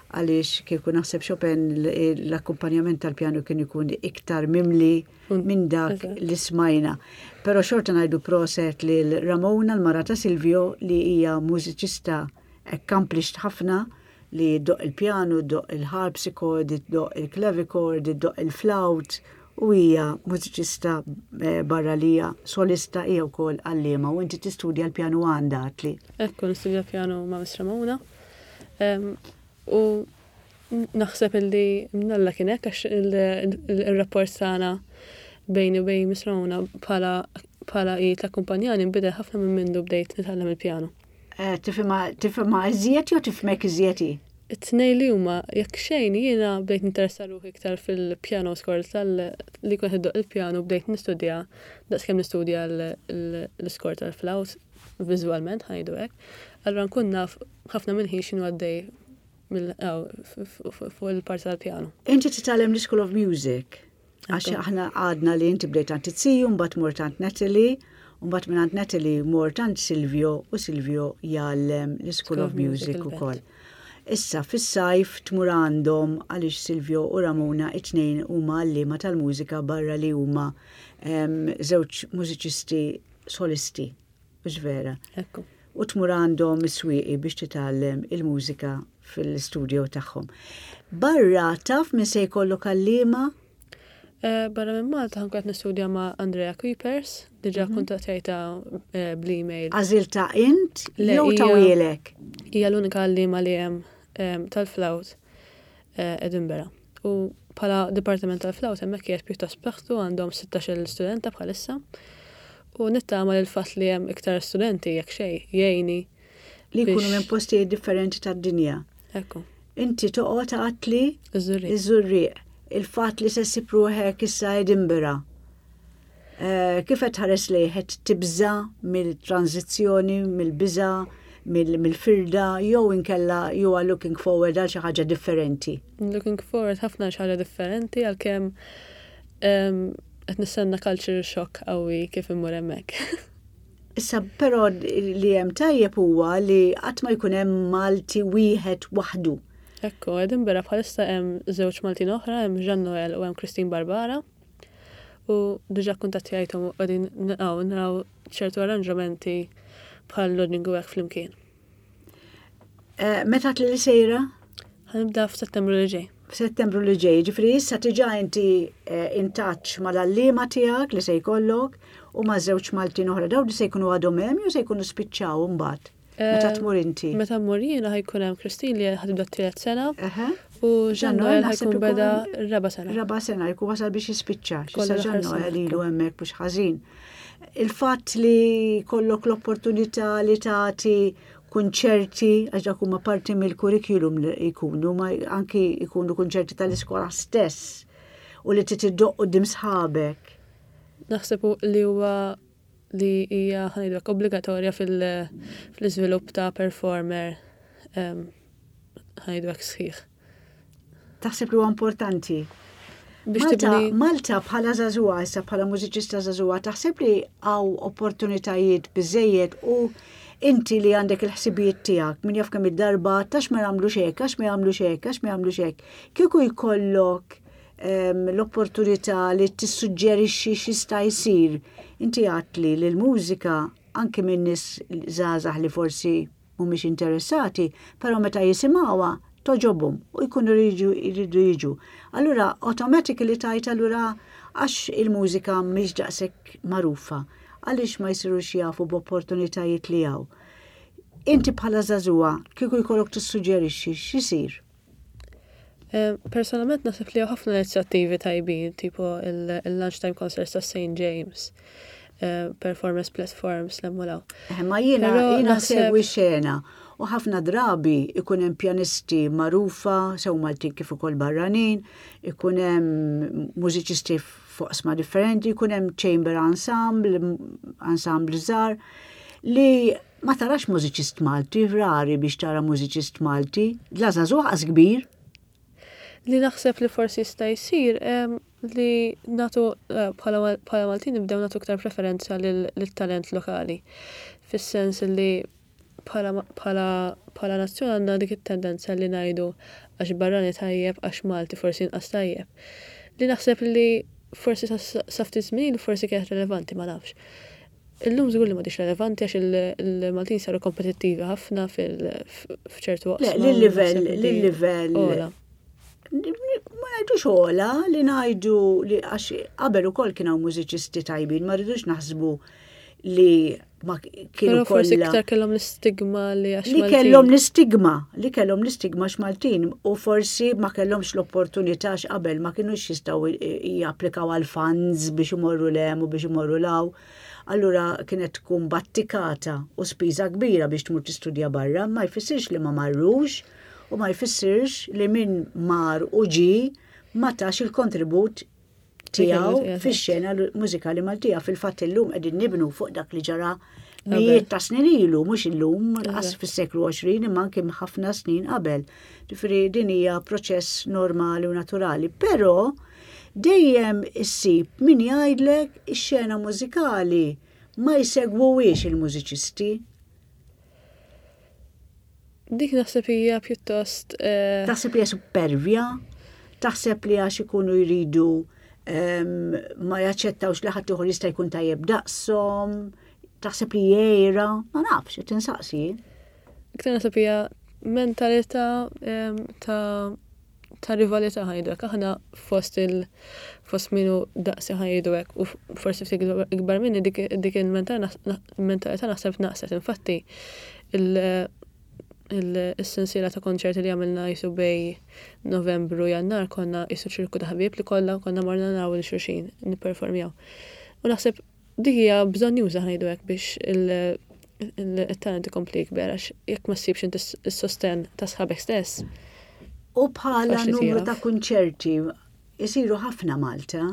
għaliex kieku naħseb Chopin l-akkumpanjament tal-pjanu kien ikun iktar mimli minn dak li smajna. Però xorta ngħidu proset lil Ramona l-mara ta' Silvio li hija mużiċista accomplished ħafna li ddoqq il-pjanu, ddoqq il-harpsichord, ddoqq il-clavichord, ddoqq il-flawt u hija mużiċista eh, barra li hija solista hija wkoll għalliema u inti tistudja l-pjanu għandha għatli. Ekku, nistudja pjanu ma' Miss Ramona. U naħseb illi mnalla kien hekk għax il-rapport tagħna bejni u bejn Miss Ramona bħala bħala hi takkumpanjani nbidel ħafna minn mindu bdejt nitgħallem il-pjanu. Eh, tifhimha iżjed jew tifhmek iżjed hi? It-tnejn li huma, jekk xejn jiena bdejt ninteressa ruħi iktar fil-piano score tal li jkun qed iddoqq il-pjanu bdejt nistudja daqskemm nistudja l-iscore tal-flawt viżwalment ħa ngħidu hekk. Allura nkun naf ħafna mill-ħin x'inhu għaddej fuq il-parti tal-pjanu. Inti titgħallem l-School of Music. Għax aħna għadna li inti bdejt għand it-siju, mbagħad mort għand Natalie, u mbagħad minn għand Natalie mort għand Silvio u Silvio jgħallem l-School of Music ukoll. Issa fis-sajf tmur għandhom għaliex Silvio u Ramona it-tnejn huma għalliema tal-mużika barra li huma żewġ mużiċisti solisti. Mhux vera? Ekku. U tmur għandhom is-swieqi biex titgħallem il-mużika fil-studio tagħhom. Barra taf min se jkollok għalliema? Eh, barra minn Malta ħankun qed nistudja ma' Andrea Kuipers, diġà mhm. kuntattjajta eh, bl-email. Għażilta int jew tawielek? Hija l-unika għalliema li hemm eh, tal-flawt Edinburgh. U bħala dipartiment tal-flawt hemmhekk qiegħed pjuttost b'saħħtu għandhom 16-il studenta bħalissa. U nittama li l-fatt li hemm iktar studenti jekk xejn jgħinni. Li jkunu minn postijiet differenti tad-dinja. Ekku. Inti toqgħod għatli Iż-Żurrieq. Iż-Żurrieq. Il-fatt li se ssib ruħek issa Edinburgh. Eh, kif qed tħares lejh qed tibża' mill-tranżizzjoni, mill-biża', mill-firda jew inkella you are looking forward għal xi ħaġa differenti? Looking forward ħafna għal xi ħaġa differenti għalkemm ehm, qed nistenna culture shock qawwi kif immur hemmhekk. Issa però li hemm tajjeb huwa li qatt ma jkun hemm Malti wieħed waħdu. Ekku, Edinburgh bħalissa hemm żewġ Maltin oħra, hemm Jean Noel u hemm Christine Barbara. U diġà kkuntattjajthom u qegħdin naqgħu naraw ċertu arranġamenti bħal lodging u hekk flimkien. Eh, meta li sejra? Ħanibda f'Settembru li ġej. F'Settembru li ġej, ġifri issa tiġa inti eh, in touch mal-allima tiegħek li se jkollok u ma' żewġ Maltin oħra daw li se jkunu għadhom hemm jew se jkunu spiċċaw imbagħad. Meta eh, tmur inti? Meta mmur jiena ħajkun hemm Christine li ħatibda t-tielet sena u Jean Noel ħajkun beda r-raba' sena. Raba' sena jkun wasal biex jispiċċa. Issa Jean Noel ilu hemmhekk mhux ħażin. Il-fatt li kollok l-opportunità li tagħti kunċerti, għax dak huma parti mill-kurrikulum li jkunu, ma anki jkunu kunċerti tal-iskola stess u li titiddoq quddiem sħabek. Naħseb li huwa li hija ħa ngħidu hekk obbligatorja fil-iżvilupp ta' performer ħa ngħidu hekk sħiħ. Taħseb li huwa importanti? Malta, Malta bħala żagħżugħa, issa bħala mużiċista żagħżugħa, taħseb li hawn opportunitajiet biżejjed u inti li għandek il-ħsibijiet tiegħek min jaf kemm id-darba tax ma jagħmlux hekk, għax ma jagħmlux hekk, għax ma jagħmlux hekk. Kieku jkollok l-opportunità li tissuġġerixxi x'jista' jsir. Inti għedtli li l-mużika anki minn nies żgħażagħ li forsi mhumiex interessati, però meta jisimgħuha togħġobhom u jkunu jridu jiġu. Allura automatically tgħid allura għax il-mużika mhix daqshekk magħrufa, għaliex ma jsirux jafu b'opportunitajiet li hawn. Inti bħala żagħżugħa kieku jkollok tissuġġerixxi x'isir? Eh, personalment naħseb li ħafna inizjattivi tajbin, tipo il-lunchtime concerts ta' St. James, eh, performance platforms l law. Eh, ma jiena jiena segwi xena u ħafna drabi ikun hemm pjanisti magħrufa sew Maltin kif ukoll barranin, ikun hemm mużiċisti fuq differenti, ikun hemm chamber ensemble, ensemble żgħar li Ma tarax mużiċist Malti, rari biex tara mużiċist Malti, la żagħżugħ qas kbir. Li naħseb li forsi jista' jsir. Li nagħtu eh, bħala Maltin nibdew nagħtu iktar preferenza lit-talent lokali. Fis-sens li bħala nazzjon għandna dik it-tendenza li ngħidu għax barrani tajjeb għax Malti forsi inqas tajjeb. Li naħseb li forsi sa ftit żmien forsi kienet relevanti ma nafx. Illum żgur li m'għadhiex relevanti għax il-Maltin saru kompetittivi ħafna f'ċertu oqsma. Le, livell livell Ma ngħidux ogħla li ngħidu li għax qabel ukoll kien hawn mużiċisti tajbin, ma rridux naħsbu li ma kienu forsi iktar kellhom l-istigma li għax Li kellhom l-istigma, li kellhom l-istigma għax Maltin u forsi ma kellhomx l-opportunità għax qabel ma kinux jistgħu japplikaw għal funds biex imorru 'l hemm u biex imorru 'l hawn. Allura kienet tkun battikata u spiża kbira biex tmur tistudja barra, ma jfissirx li ma marrux u ma jfissirx li min mar u ġie ma tax il-kontribut tiegħu fix-xena mużikali Maltija. Fil-fatt illum qegħdin nibnu fuq dak li ġara mijiet ta' snin ilu, mhux illum, qas fis-seklu 20 imma anke ħafna snin qabel. Ġifieri din hija proċess normali u naturali, però dejjem issib min jgħidlek ix-xena mużikali ma jsegwuhiex il-mużiċisti. Dik naħseb hija pjuttost. Eh, taħseb li hija supervja? Taħseb li għax ikunu jridu ehm, ma jaċċettawx li ħadd ieħor jista' jkun tajjeb daqshom? Taħseb li jgħira? Ma nafx, qed insaqsi. Iktar naħseb hija mentalità ehm, ta' ta' rivalità ħajdu hekk. Aħna fost il fost minu daqsi ħajdu hekk u forsi ftit ikbar minni dik il-mentalità naħseb naqset. Infatti il-sensiela ta' konċerti li għamilna jisu bej Novembru Jannar konna jisu ċirku ta' ħbieb li kollha konna morna naraw il xulxin nipperformjaw. U naħseb Dik hija bżonnjuża ħa ngħidu hekk biex il-talent ikompli jikber għax jekk ma ssibx inti s-sostenn ta' sħabek stess. U bħala numru ta' kunċerti isiru ħafna Malta.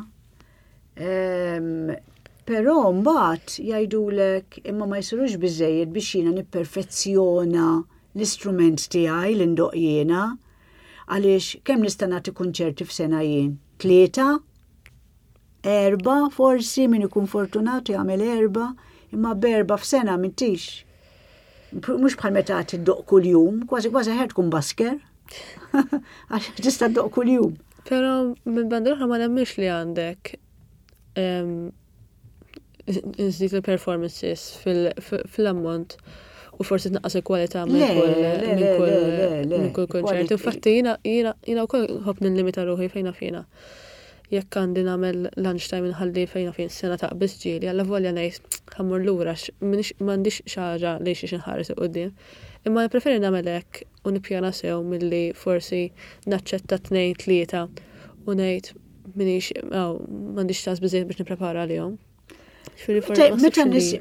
Ehm, però mbagħad jgħidulek imma ma jsirux biżejjed biex jiena nipperfezzjona l-istrument tiegħi li ndoq jiena. Għaliex kemm nista' nagħti kunċerti f'sena jien? Tlieta? Erbgħa forsi, min ikun fortunat jagħmel erbgħa, imma b'erbgħa f'sena m'intix. Mhux bħal meta tiddoq kuljum, kważi kważi ħer tkun basker. Għax tista' ddoq kuljum. Però minn banda l-oħra ma nemmix li għandek nżid il-performances fil-ammont u forsi tnaqqas il-kwalità minn kull konċert. Infatti jiena jiena wkoll nħobb nillimita ruħi fejn naf jiena. Jekk għandi nagħmel lunch time inħalli fejn naf jien sena taqbiż ġieli, allavolja ngħid ħa mmur lura għax m'iniex m'għandix xi ħaġa lejn xiex inħares 'il quddiem. Imma nippreferi nagħmel hekk u nippjana sew milli forsi naċċetta tnejn tlieta u ngħid m'iniex m'għandix ċans biżżejjed biex nipprepara għalihom.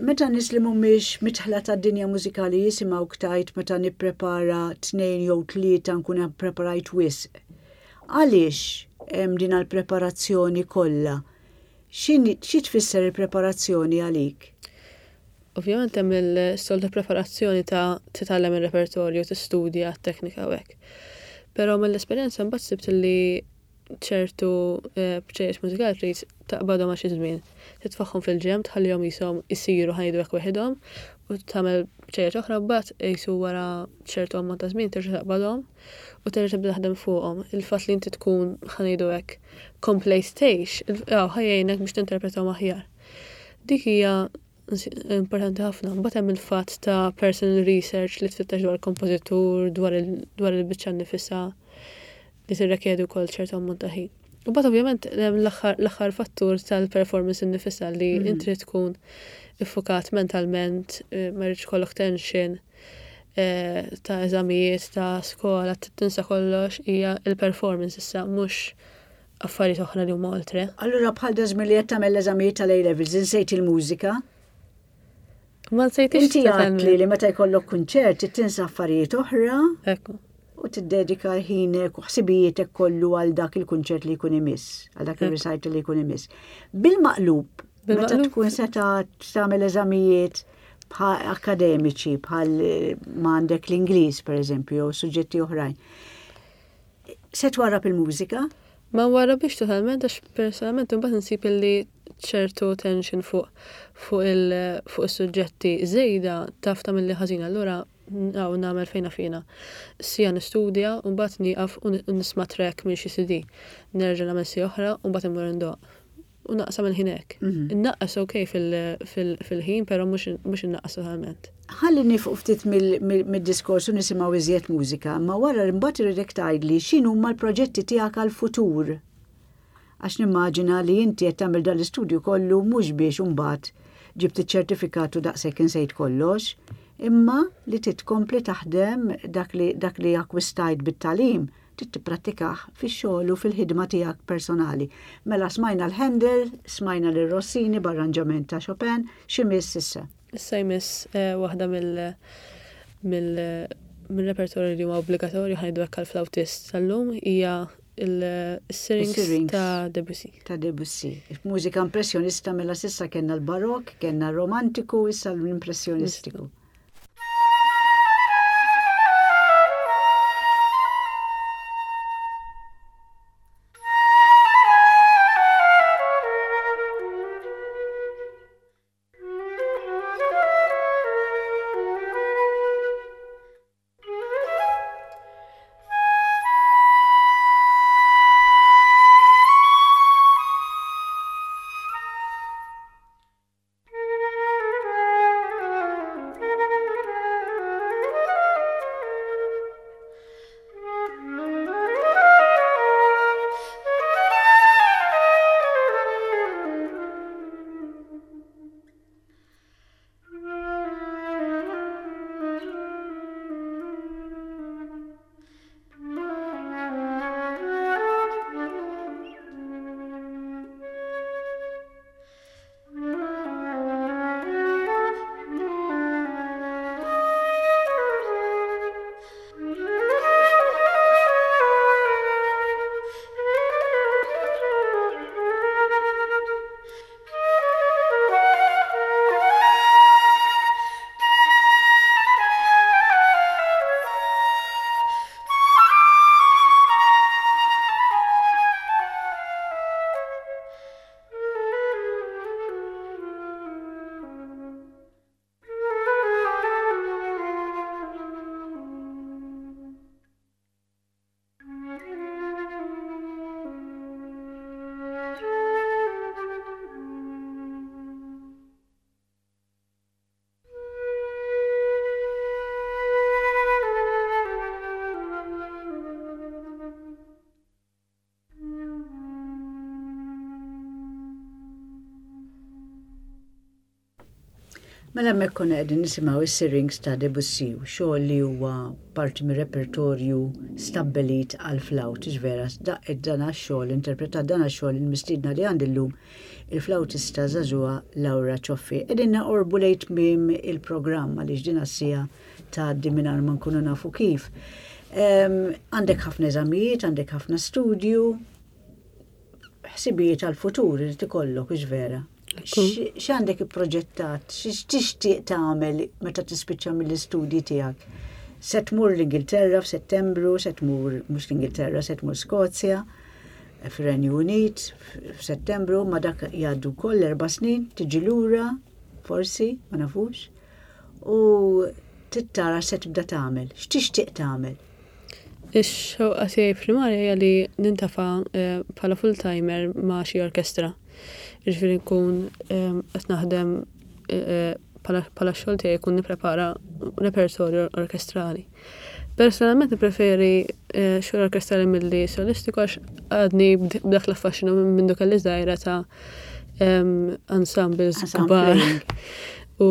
Meta nies li mhumiex mitħla tad-dinja mużikali jisimgħu ktajt meta nipprepara tnejn jew tlieta nkun ppreparajt wisq. Għaliex hemm din għall-preparazzjoni kollha? Xi tfisser il-preparazzjoni għalik? Ovvjament hemm il-soltu preparazzjoni ta' titgħallem ir-repertorju, tistudja t-teknika u hekk. Però mill-esperjenza mbagħad sibt li ċertu bċejjeċ mużikali trid taqbadhom għal xi żmien. Titfagħhom fil-ġenb, tħallihom qishom isiru ħa ngħidu hekk weħidhom u tagħmel bċejjeċ oħra mbagħad qisu wara ċertu ammont ta' żmien terġa' taqbadhom u terġa' tibda taħdem fuqhom. Il-fatt li inti tkun ħa ngħidu hekk komplejt tgħix, ħa jgħinek biex tinterpretahom aħjar. Dik hija importanti ħafna. Mbagħad hemm il-fatt ta' personal research li tfittex dwar kompożitur, dwar il-biċċa nnifisha li tirrekjedi wkoll ċertu ammont ta' ħin. U mbagħad ovvjament hemm l-aħħar fattur tal-performance innifisha li mm. inti trid tkun iffukat mentalment, eh, ma rridx kollok tension eh, ta' eżamijiet, ta' skola, tinsa kollox hija il-performance issa mhux affarijiet oħra li huma oltre. Allura bħal dażmin li qed tagħmel l-eżamijiet tal-A levels insejt il-mużika? Ma nsejtix. Inti għatli li meta jkollok kunċert tinsa affarijiet oħra. Ekku. U tiddedika ħinek u ħsibijietek kollu għal dak il-kunċert li jkun imiss, għal dak il-recital li jkun imiss. Bil-maqlub, meta tkun seta tagħmel eżamijiet akademiċi bħal ma għandek l-Ingliż per eżempju, jew suġġetti oħrajn. Se twarrab il-mużika? Ma nwarrabhiex totalment għax personalment imbagħad insib illi ċertu tension fuq fuq il fuq is-suġġetti żejda taf tagħmilli ħażin allura hawn nagħmel fejn naf jiena. Siegħa nistudja u mbagħad nieqaf u nisma' track minn xi CD. Nerġa' nagħmel siegħa oħra u mbagħad immur indoqq. U naqsam il-ħin hekk. Innaqqas ok fil-ħin però mhux innaqqas totalment. Ħalli nifqu ftit mid-diskors u nisimgħu iżjed mużika, imma wara imbagħad irridek tgħidli x'inhuma l-proġetti tiegħek għall-futur. Għax nimmaġina li inti qed tagħmel dan l-istudju kollu mhux biex imbagħad ġibt iċ-ċertifikat u daqshekk insejt kollox, imma li trid tkompli taħdem dak li dak li akkwistajt bit-tagħlim trid tipprattikah fix-xogħol u fil-ħidma tiegħek personali. Mela smajna l-Handel, smajna lil Rossini b'arranġament ta' Chopin, x'imiss issa? Issa jmiss eh, waħda mill mill mill-repertorju li huwa obbligatorju ħa ngħidu hekk għall-flautist tal-lum hija il-Syrinx ta' Debussy. Ta' Debussy. Mużika impressjonista mela s'issa kellna l-Barokk, kellna r-Romantiku, issa l-Impressjonistiku. Mela hemmhekk konna qegħdin nisimgħu is-Syrinx ta' Debussy, xogħol li huwa parti mir-repertorju stabbelit għall-flawt, vera, daqqet dan għax-xogħol, interpretat dan għax-xogħol il-mistiedna li għandi llum il-flawtista żagħżugħa Laura Cioffi. Qegħdin naqorbu lejn tmiem il-programm għaliex din għas-siegħa tgħaddi mingħajr ma nkunu nafu kif. Għandek ħafna eżamijiet, għandek ħafna studju, ħsibijiet għall-futur irid ikollok, hux vera? X'għandek ipproġettat, x'tixtieq tagħmel meta tispiċċa mill-istudji tiegħek? Se tmur l-Ingilterra f'Settembru, se tmur mhux l-Ingilterra, se tmur Skozja, fir-Renju Unit f'Settembru, ma dak jgħaddu wkoll erba' snin, tiġi lura, forsi, ma nafux, u tittara se tibda tagħmel. X'tixtieq tagħmel? Ix-xewqa tiegħi primarja hija li nintafa' eh, bħala full-timer ma' xi orkestra. Jiġifieri nkun eh, qed naħdem eh, bħala xogħol tiegħi jkun nipprepara repertorju orkestrali. Personalment nippreferi xogħol orkestrali milli solistiku għax għadni b'dak l-affaxxinu minn mindu kelli żgħira ta' ensembles kbar u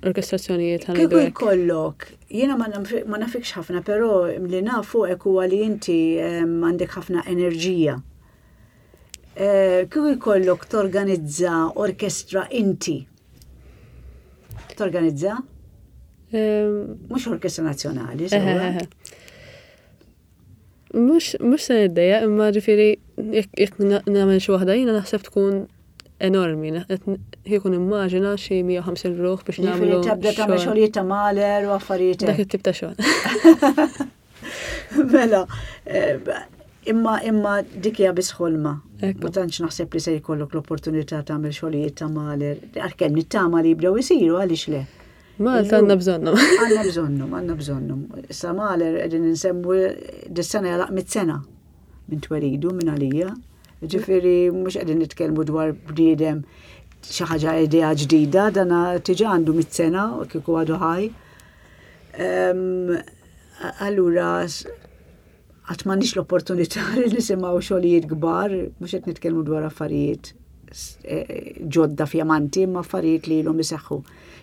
orkestrazzjonijiet ħa ngħidu hekk. Kieku jkollok, jiena ma nafikx ħafna, però li naf fuqek huwa li inti għandek ħafna enerġija. Eh, kieku jkollok torganizza orkestra inti. Torganizza? Mhux orkestra nazzjonali, sewwa. Mhux mhux se niddejjaq imma ġifieri jekk nagħmel xi waħda jiena naħseb tkun enormi. Kieku nimmaġina xi 150 ruħ biex nagħmlu. Ġifieri tibda tagħmel xogħlijiet ta' Mahler u affarijiet. Dak it-tip ta' xogħol. Mela, eh, Imma imma dik hija biss ħolma. Ma tantx naħseb li se jkollok l-opportunità tagħmel xogħlijiet ta' Mahler. Għalkemm nittama li jibdew isiru għaliex le. Malta għandna bżonnhom. Għandna bżonnhom, għandna bżonnhom. Issa Mahler qegħdin insemmu dis-sena jalaq mit-sena minn twelidu minn għalija. Ġifieri mhux qegħdin nitkellmu dwar bniedem xi ħaġa idea ġdida, dana tiġa għandu mit-sena kieku għadu ħaj. Allura Qatt m'għandniex l-opportunità li nisimgħu xogħlijiet kbar, mhux qed nitkellmu dwar affarijiet eh, ġodda fjamanti, imma affarijiet li ilhom iseħħu.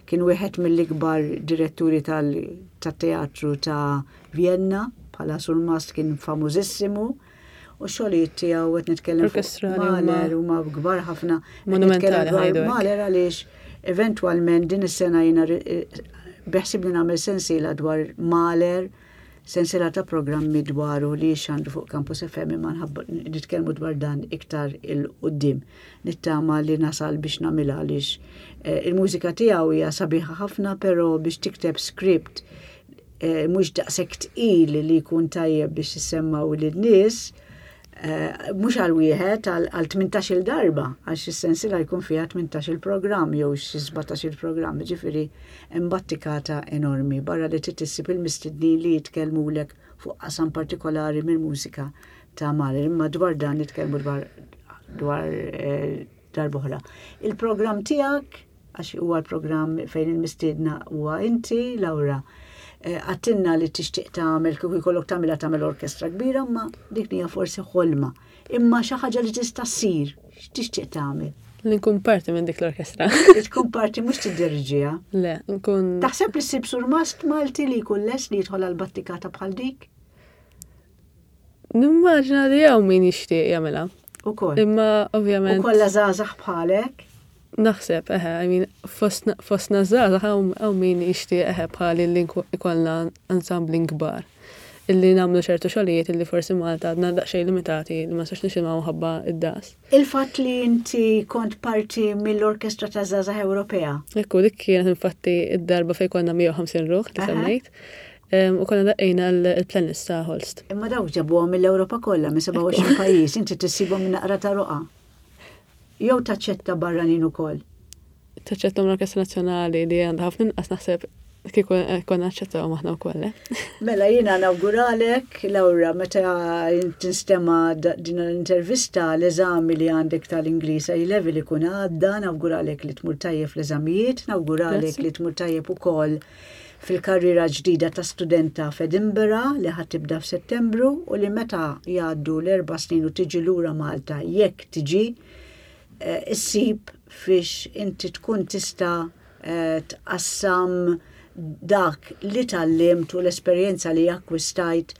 Kien wieħed mill-ikbar diretturi tat-teatru ta' Vienna, bħala surmast kien famużissimu, u xogħlijiet tiegħu qed nitkellem fuq Mahler huma kbar ħafna. Monumentali Mahler għaliex eventwalment din is-sena jiena eh, beħsibni nagħmel sensiela dwar Mahler Sensiela ta' programmi dwaru li jixxandru fuq Campus FM imma nitkellmu dwar dan iktar 'il quddiem. Nittama li nasal biex nagħmilha għaliex eh, il-mużika tiegħu hija sabiħa ħafna però biex tikteb script eh, mhux daqshekk tqil li jkun tajjeb biex issemmaw lin-nies, eh, mhux għal wieħed għal 18-il darba, għax is-sensiela jkun fiha 18-il programm jew xi 17-il programm, ġifieri hemm battikata enormi barra li trid issib il-mistednin li jitkellmulek fuq qasam partikolari mill-mużika ta' Mahler, imma dwar dan nitkellmu dwar dwar eh, darb'oħra. Il-programm tiegħek għax huwa l-programm fejn il-mistiedna huwa inti, Laura. Eh, għattinna li tixtieq tagħmel kieku jkollok tagħmilha tagħmel orkestra kbira, imma dik hija forsi ħolma. Imma xi ħaġa li tista' ssir, x'tixtieq tagħmel? Li nkun parti minn dik l-orkestra. Li tkun parti mhux tiddirġiha. Le, nkun. Taħseb li ssib surmast Malti li jkun les li jidħol għal battikata bħal dik? Nimmaġina li hawn min jixtieq jagħmilha. Ukoll. Imma ovvjament. U kollha żgħażagħ bħalek? Naħseb, eħe, I mean, fostna żgħażagħ hawn min jixtieq eħe bħali li ikollna ansambli kbar. Illi nagħmlu ċertu xogħlijiet illi forsi Malta għadna daqsxejn limitati li ma nistax nisimgħu ħabba id-daqs. Il-fatt li inti kont parti mill-Orkestra taż-Żgħażagħ Ewropea. Ekku, dik kienet infatti id-darba fejn konna 150 ruħ li semmejt. U konna daqqejna l-planist ta' Holst. Imma dawk ġabuhom mill-Ewropa kollha, minn 27 pajjiż, inti tissibhom minn naqra ta' roqa. Jew taċċetta barranin ukoll? Taċċetta l-Orkestra Nazzjonali li għandha ħafna inqas naħseb kieku eh, konna naċċettawhom aħna wkoll. Eh? Mela jiena nawguralek, Laura, meta tinstema din l-intervista l-eżami li għandek tal-Ingliż A level ikun għadda, nawguralek li tmur tajjeb fl-eżamijiet, nawguralek li tmur tajjeb ukoll fil-karriera ġdida ta' studenta f'Edinburgh li ħa tibda f'Settembru u li meta jgħaddu l-erba' snin u tiġi lura Malta jekk tiġi eh, issib fiex inti tkun tista' eh, tqassam dak li tgħallimt u l-esperjenza li akkwistajt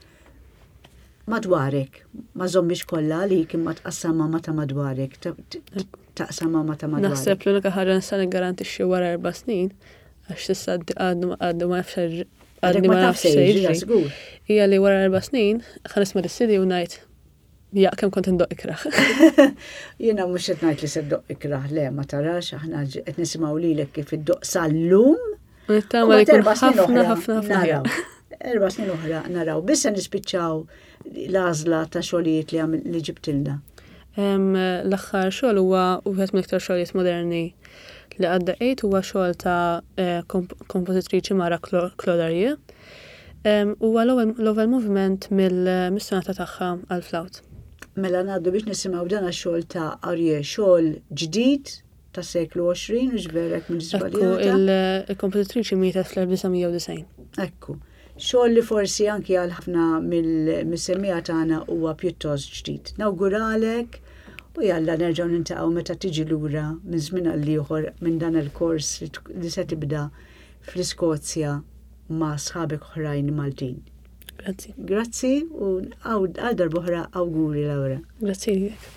madwarek. Ma żommix kollha għalik imma tqassamha ma ta' madwarek, taqsamha ma ta' madwarek. Naħseb l-unika ħaġa nista' niggarantixxi wara erba' snin għax s'issa għadnu għadnu ma nafx għadni ma nafx se jiġri. Hija li wara erba' snin ħa nisma' dis-CD u ngħid ja kemm kont indoq ikrah. Jiena mhux qed ngħid li se ddoq ikrah, le ma tarax aħna qed nisimgħu lilek kif iddoq sal-lum. Nittama li jkun ħafna ħafna ħafna. Erba' snin oħra naraw. Biss se nispiċċaw l-għażla ta' xogħlijiet li li ġibtilna. L-aħħar xogħol huwa wieħed mill-iktar xogħlijiet moderni li għadda għid huwa xogħol ta' eh, kompożitriċi Mara Claude Arie. Huwa l-ewwel moviment mill-sonata tagħha għall-flawt. Mela ngħaddu biex nisimgħu dan xogħol ta' Arie, xogħol ġdid ta' seklu 20 u ġverek minn Ekku, il-kompożitriċi mietet fl-1990. Ekku. Xogħol li forsi anki għal ħafna mill-semmiegħa tagħna huwa pjuttost ġdid. Nawguralek u jalla nerġgħu nintaqgħu meta tiġi lura minn żmien għal ieħor minn dan il-kors li se tibda fl-Iskozja ma' sħabek oħrajn Maltin. Grazzi. Grazzi u għal darb'oħra awguri Laura. Grazzi lilek.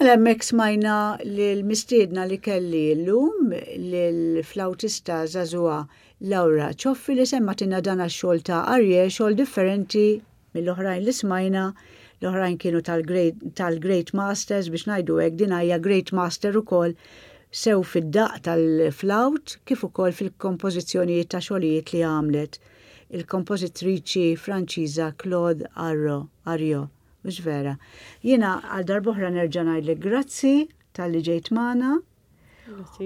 Mela hemmhekk smajna lill-mistiedna li kelli llum, lill-flautista żagħżugħa Laura Cioffi li semmatilna dan għax-xogħol ta' Arie, xogħol differenti mill-oħrajn li smajna, l-oħrajn kienu tal-Great Masters biex ngħidu hekk, din hija Great Master ukoll sew fid-daqq tal-flawt kif ukoll fil-kompożizzjonijiet ta' xogħlijiet li għamlet il-kompożitriċi Franċiża Claude Arrio. Mhux vera. Jiena għal darb'oħra nerġa' ngħidlek grazzi talli ġejt magħna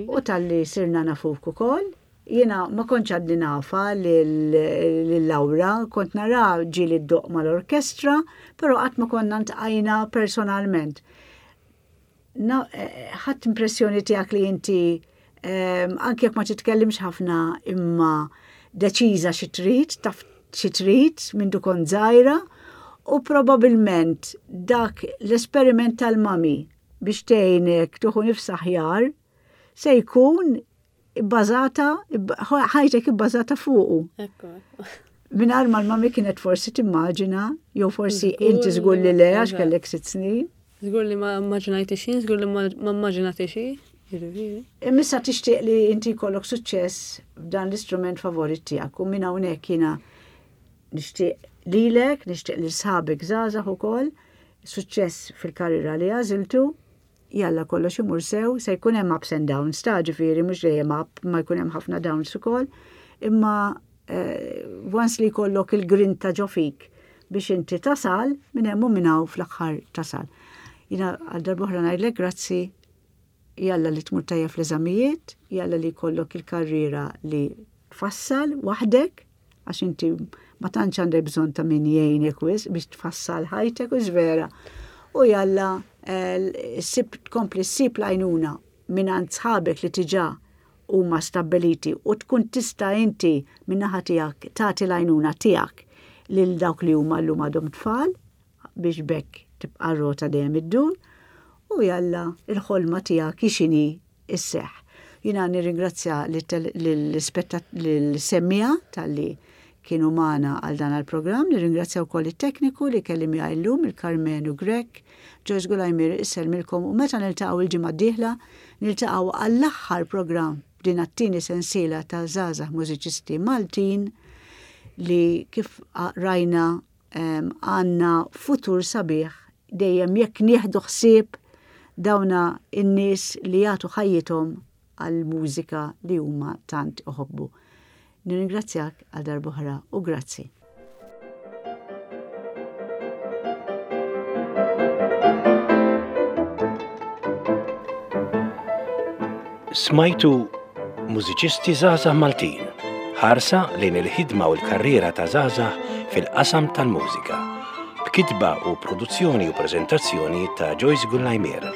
u talli sirna nafuk ukoll. Jiena ma kontx għadni nafa lil Laura, kont nara ġieli ddoqq mal-orkestra, però qatt ma konna ntqajna personalment. Eh, ħadd impressjoni tiegħek li inti ehm, anke jekk ma titkellimx ħafna imma deċiża xi trid, taf xi trid minn kont żgħira u probabilment dak l-esperiment tal-mami biex tgħinek tuħu nifs aħjar se jkun ibbażata, ħajtek ibbażata fuqu. Ekku. Mingħajr ma l-mami kienet forsi timmaġina, jew forsi inti żgur li le għax kellek sitt snin. Żgur li ma immaġinajt xejn, żgur li ma immaġinat xejn. Imissa tixtieq li inti jkollok suċċess f'dan l-istrument favorit tiegħek u minn hawnhekk jiena nixtieq lilek, nixtieq lil sħabek żgħażagħ ukoll suċċess fil-karriera li għażiltu Jalla kollox imur sew, se jkun hemm ups and downs ta' ġifieri mhux dejjem up, ma jkun hemm ħafna downs ukoll, imma eh, once li jkollok il-grinta ġo fik biex inti tasal, minn hemm u minn hawn fl-aħħar tasal. Jiena għal darb'oħra ngħidlek grazzi jalla li tmur tajjeb fl-eżamijiet, jalla li jkollok il-karriera li tfassal waħdek, Għax inti ma tantx għandek bżonn ta' min jgħinek wisq biex tfassal ħajtek u vera. U jalla eh, sib tkompli ssib l-għajnuna minn għand sħabek li tiġà huma stabbiliti u tkun tista' inti min-naħa tiegħek tagħti l-għajnuna tiegħek lil dawk li huma llum għadhom tfal biex b'hekk tibqa' r-rota dejjem iddur u jalla l-ħolma tiegħek hi x'inhi isseħħ. Jiena nirringrazzja lill-semmiegħa talli kienu magħna għal dan għall-programm, nirringrazzja wkoll it-tekniku li kelli miegħi llum il-Karmenu Grech, Joyce Gulajmir issellmilkom u meta niltaqgħu il-ġimgħa d-dieħla niltaqgħu għall-aħħar programm f'din għat-tieni sensiela ta' żgħażagħ mużiċisti Maltin li kif rajna għandna futur sabiħ dejjem jekk nieħdu ħsieb dawna n-nies li jagħtu ħajjithom għall-mużika li huma tant iħobbu. Nirringrazzjak għal darb'oħra u grazzi. Smajtu Mużiċisti Żgħażagħ Maltin, ħarsa lejn il-ħidma u l-karriera ta' żgħażagħ fil-qasam tal-mużika. B'kitba u produzzjoni u preżentazzjoni ta' Joyce Gullajmier.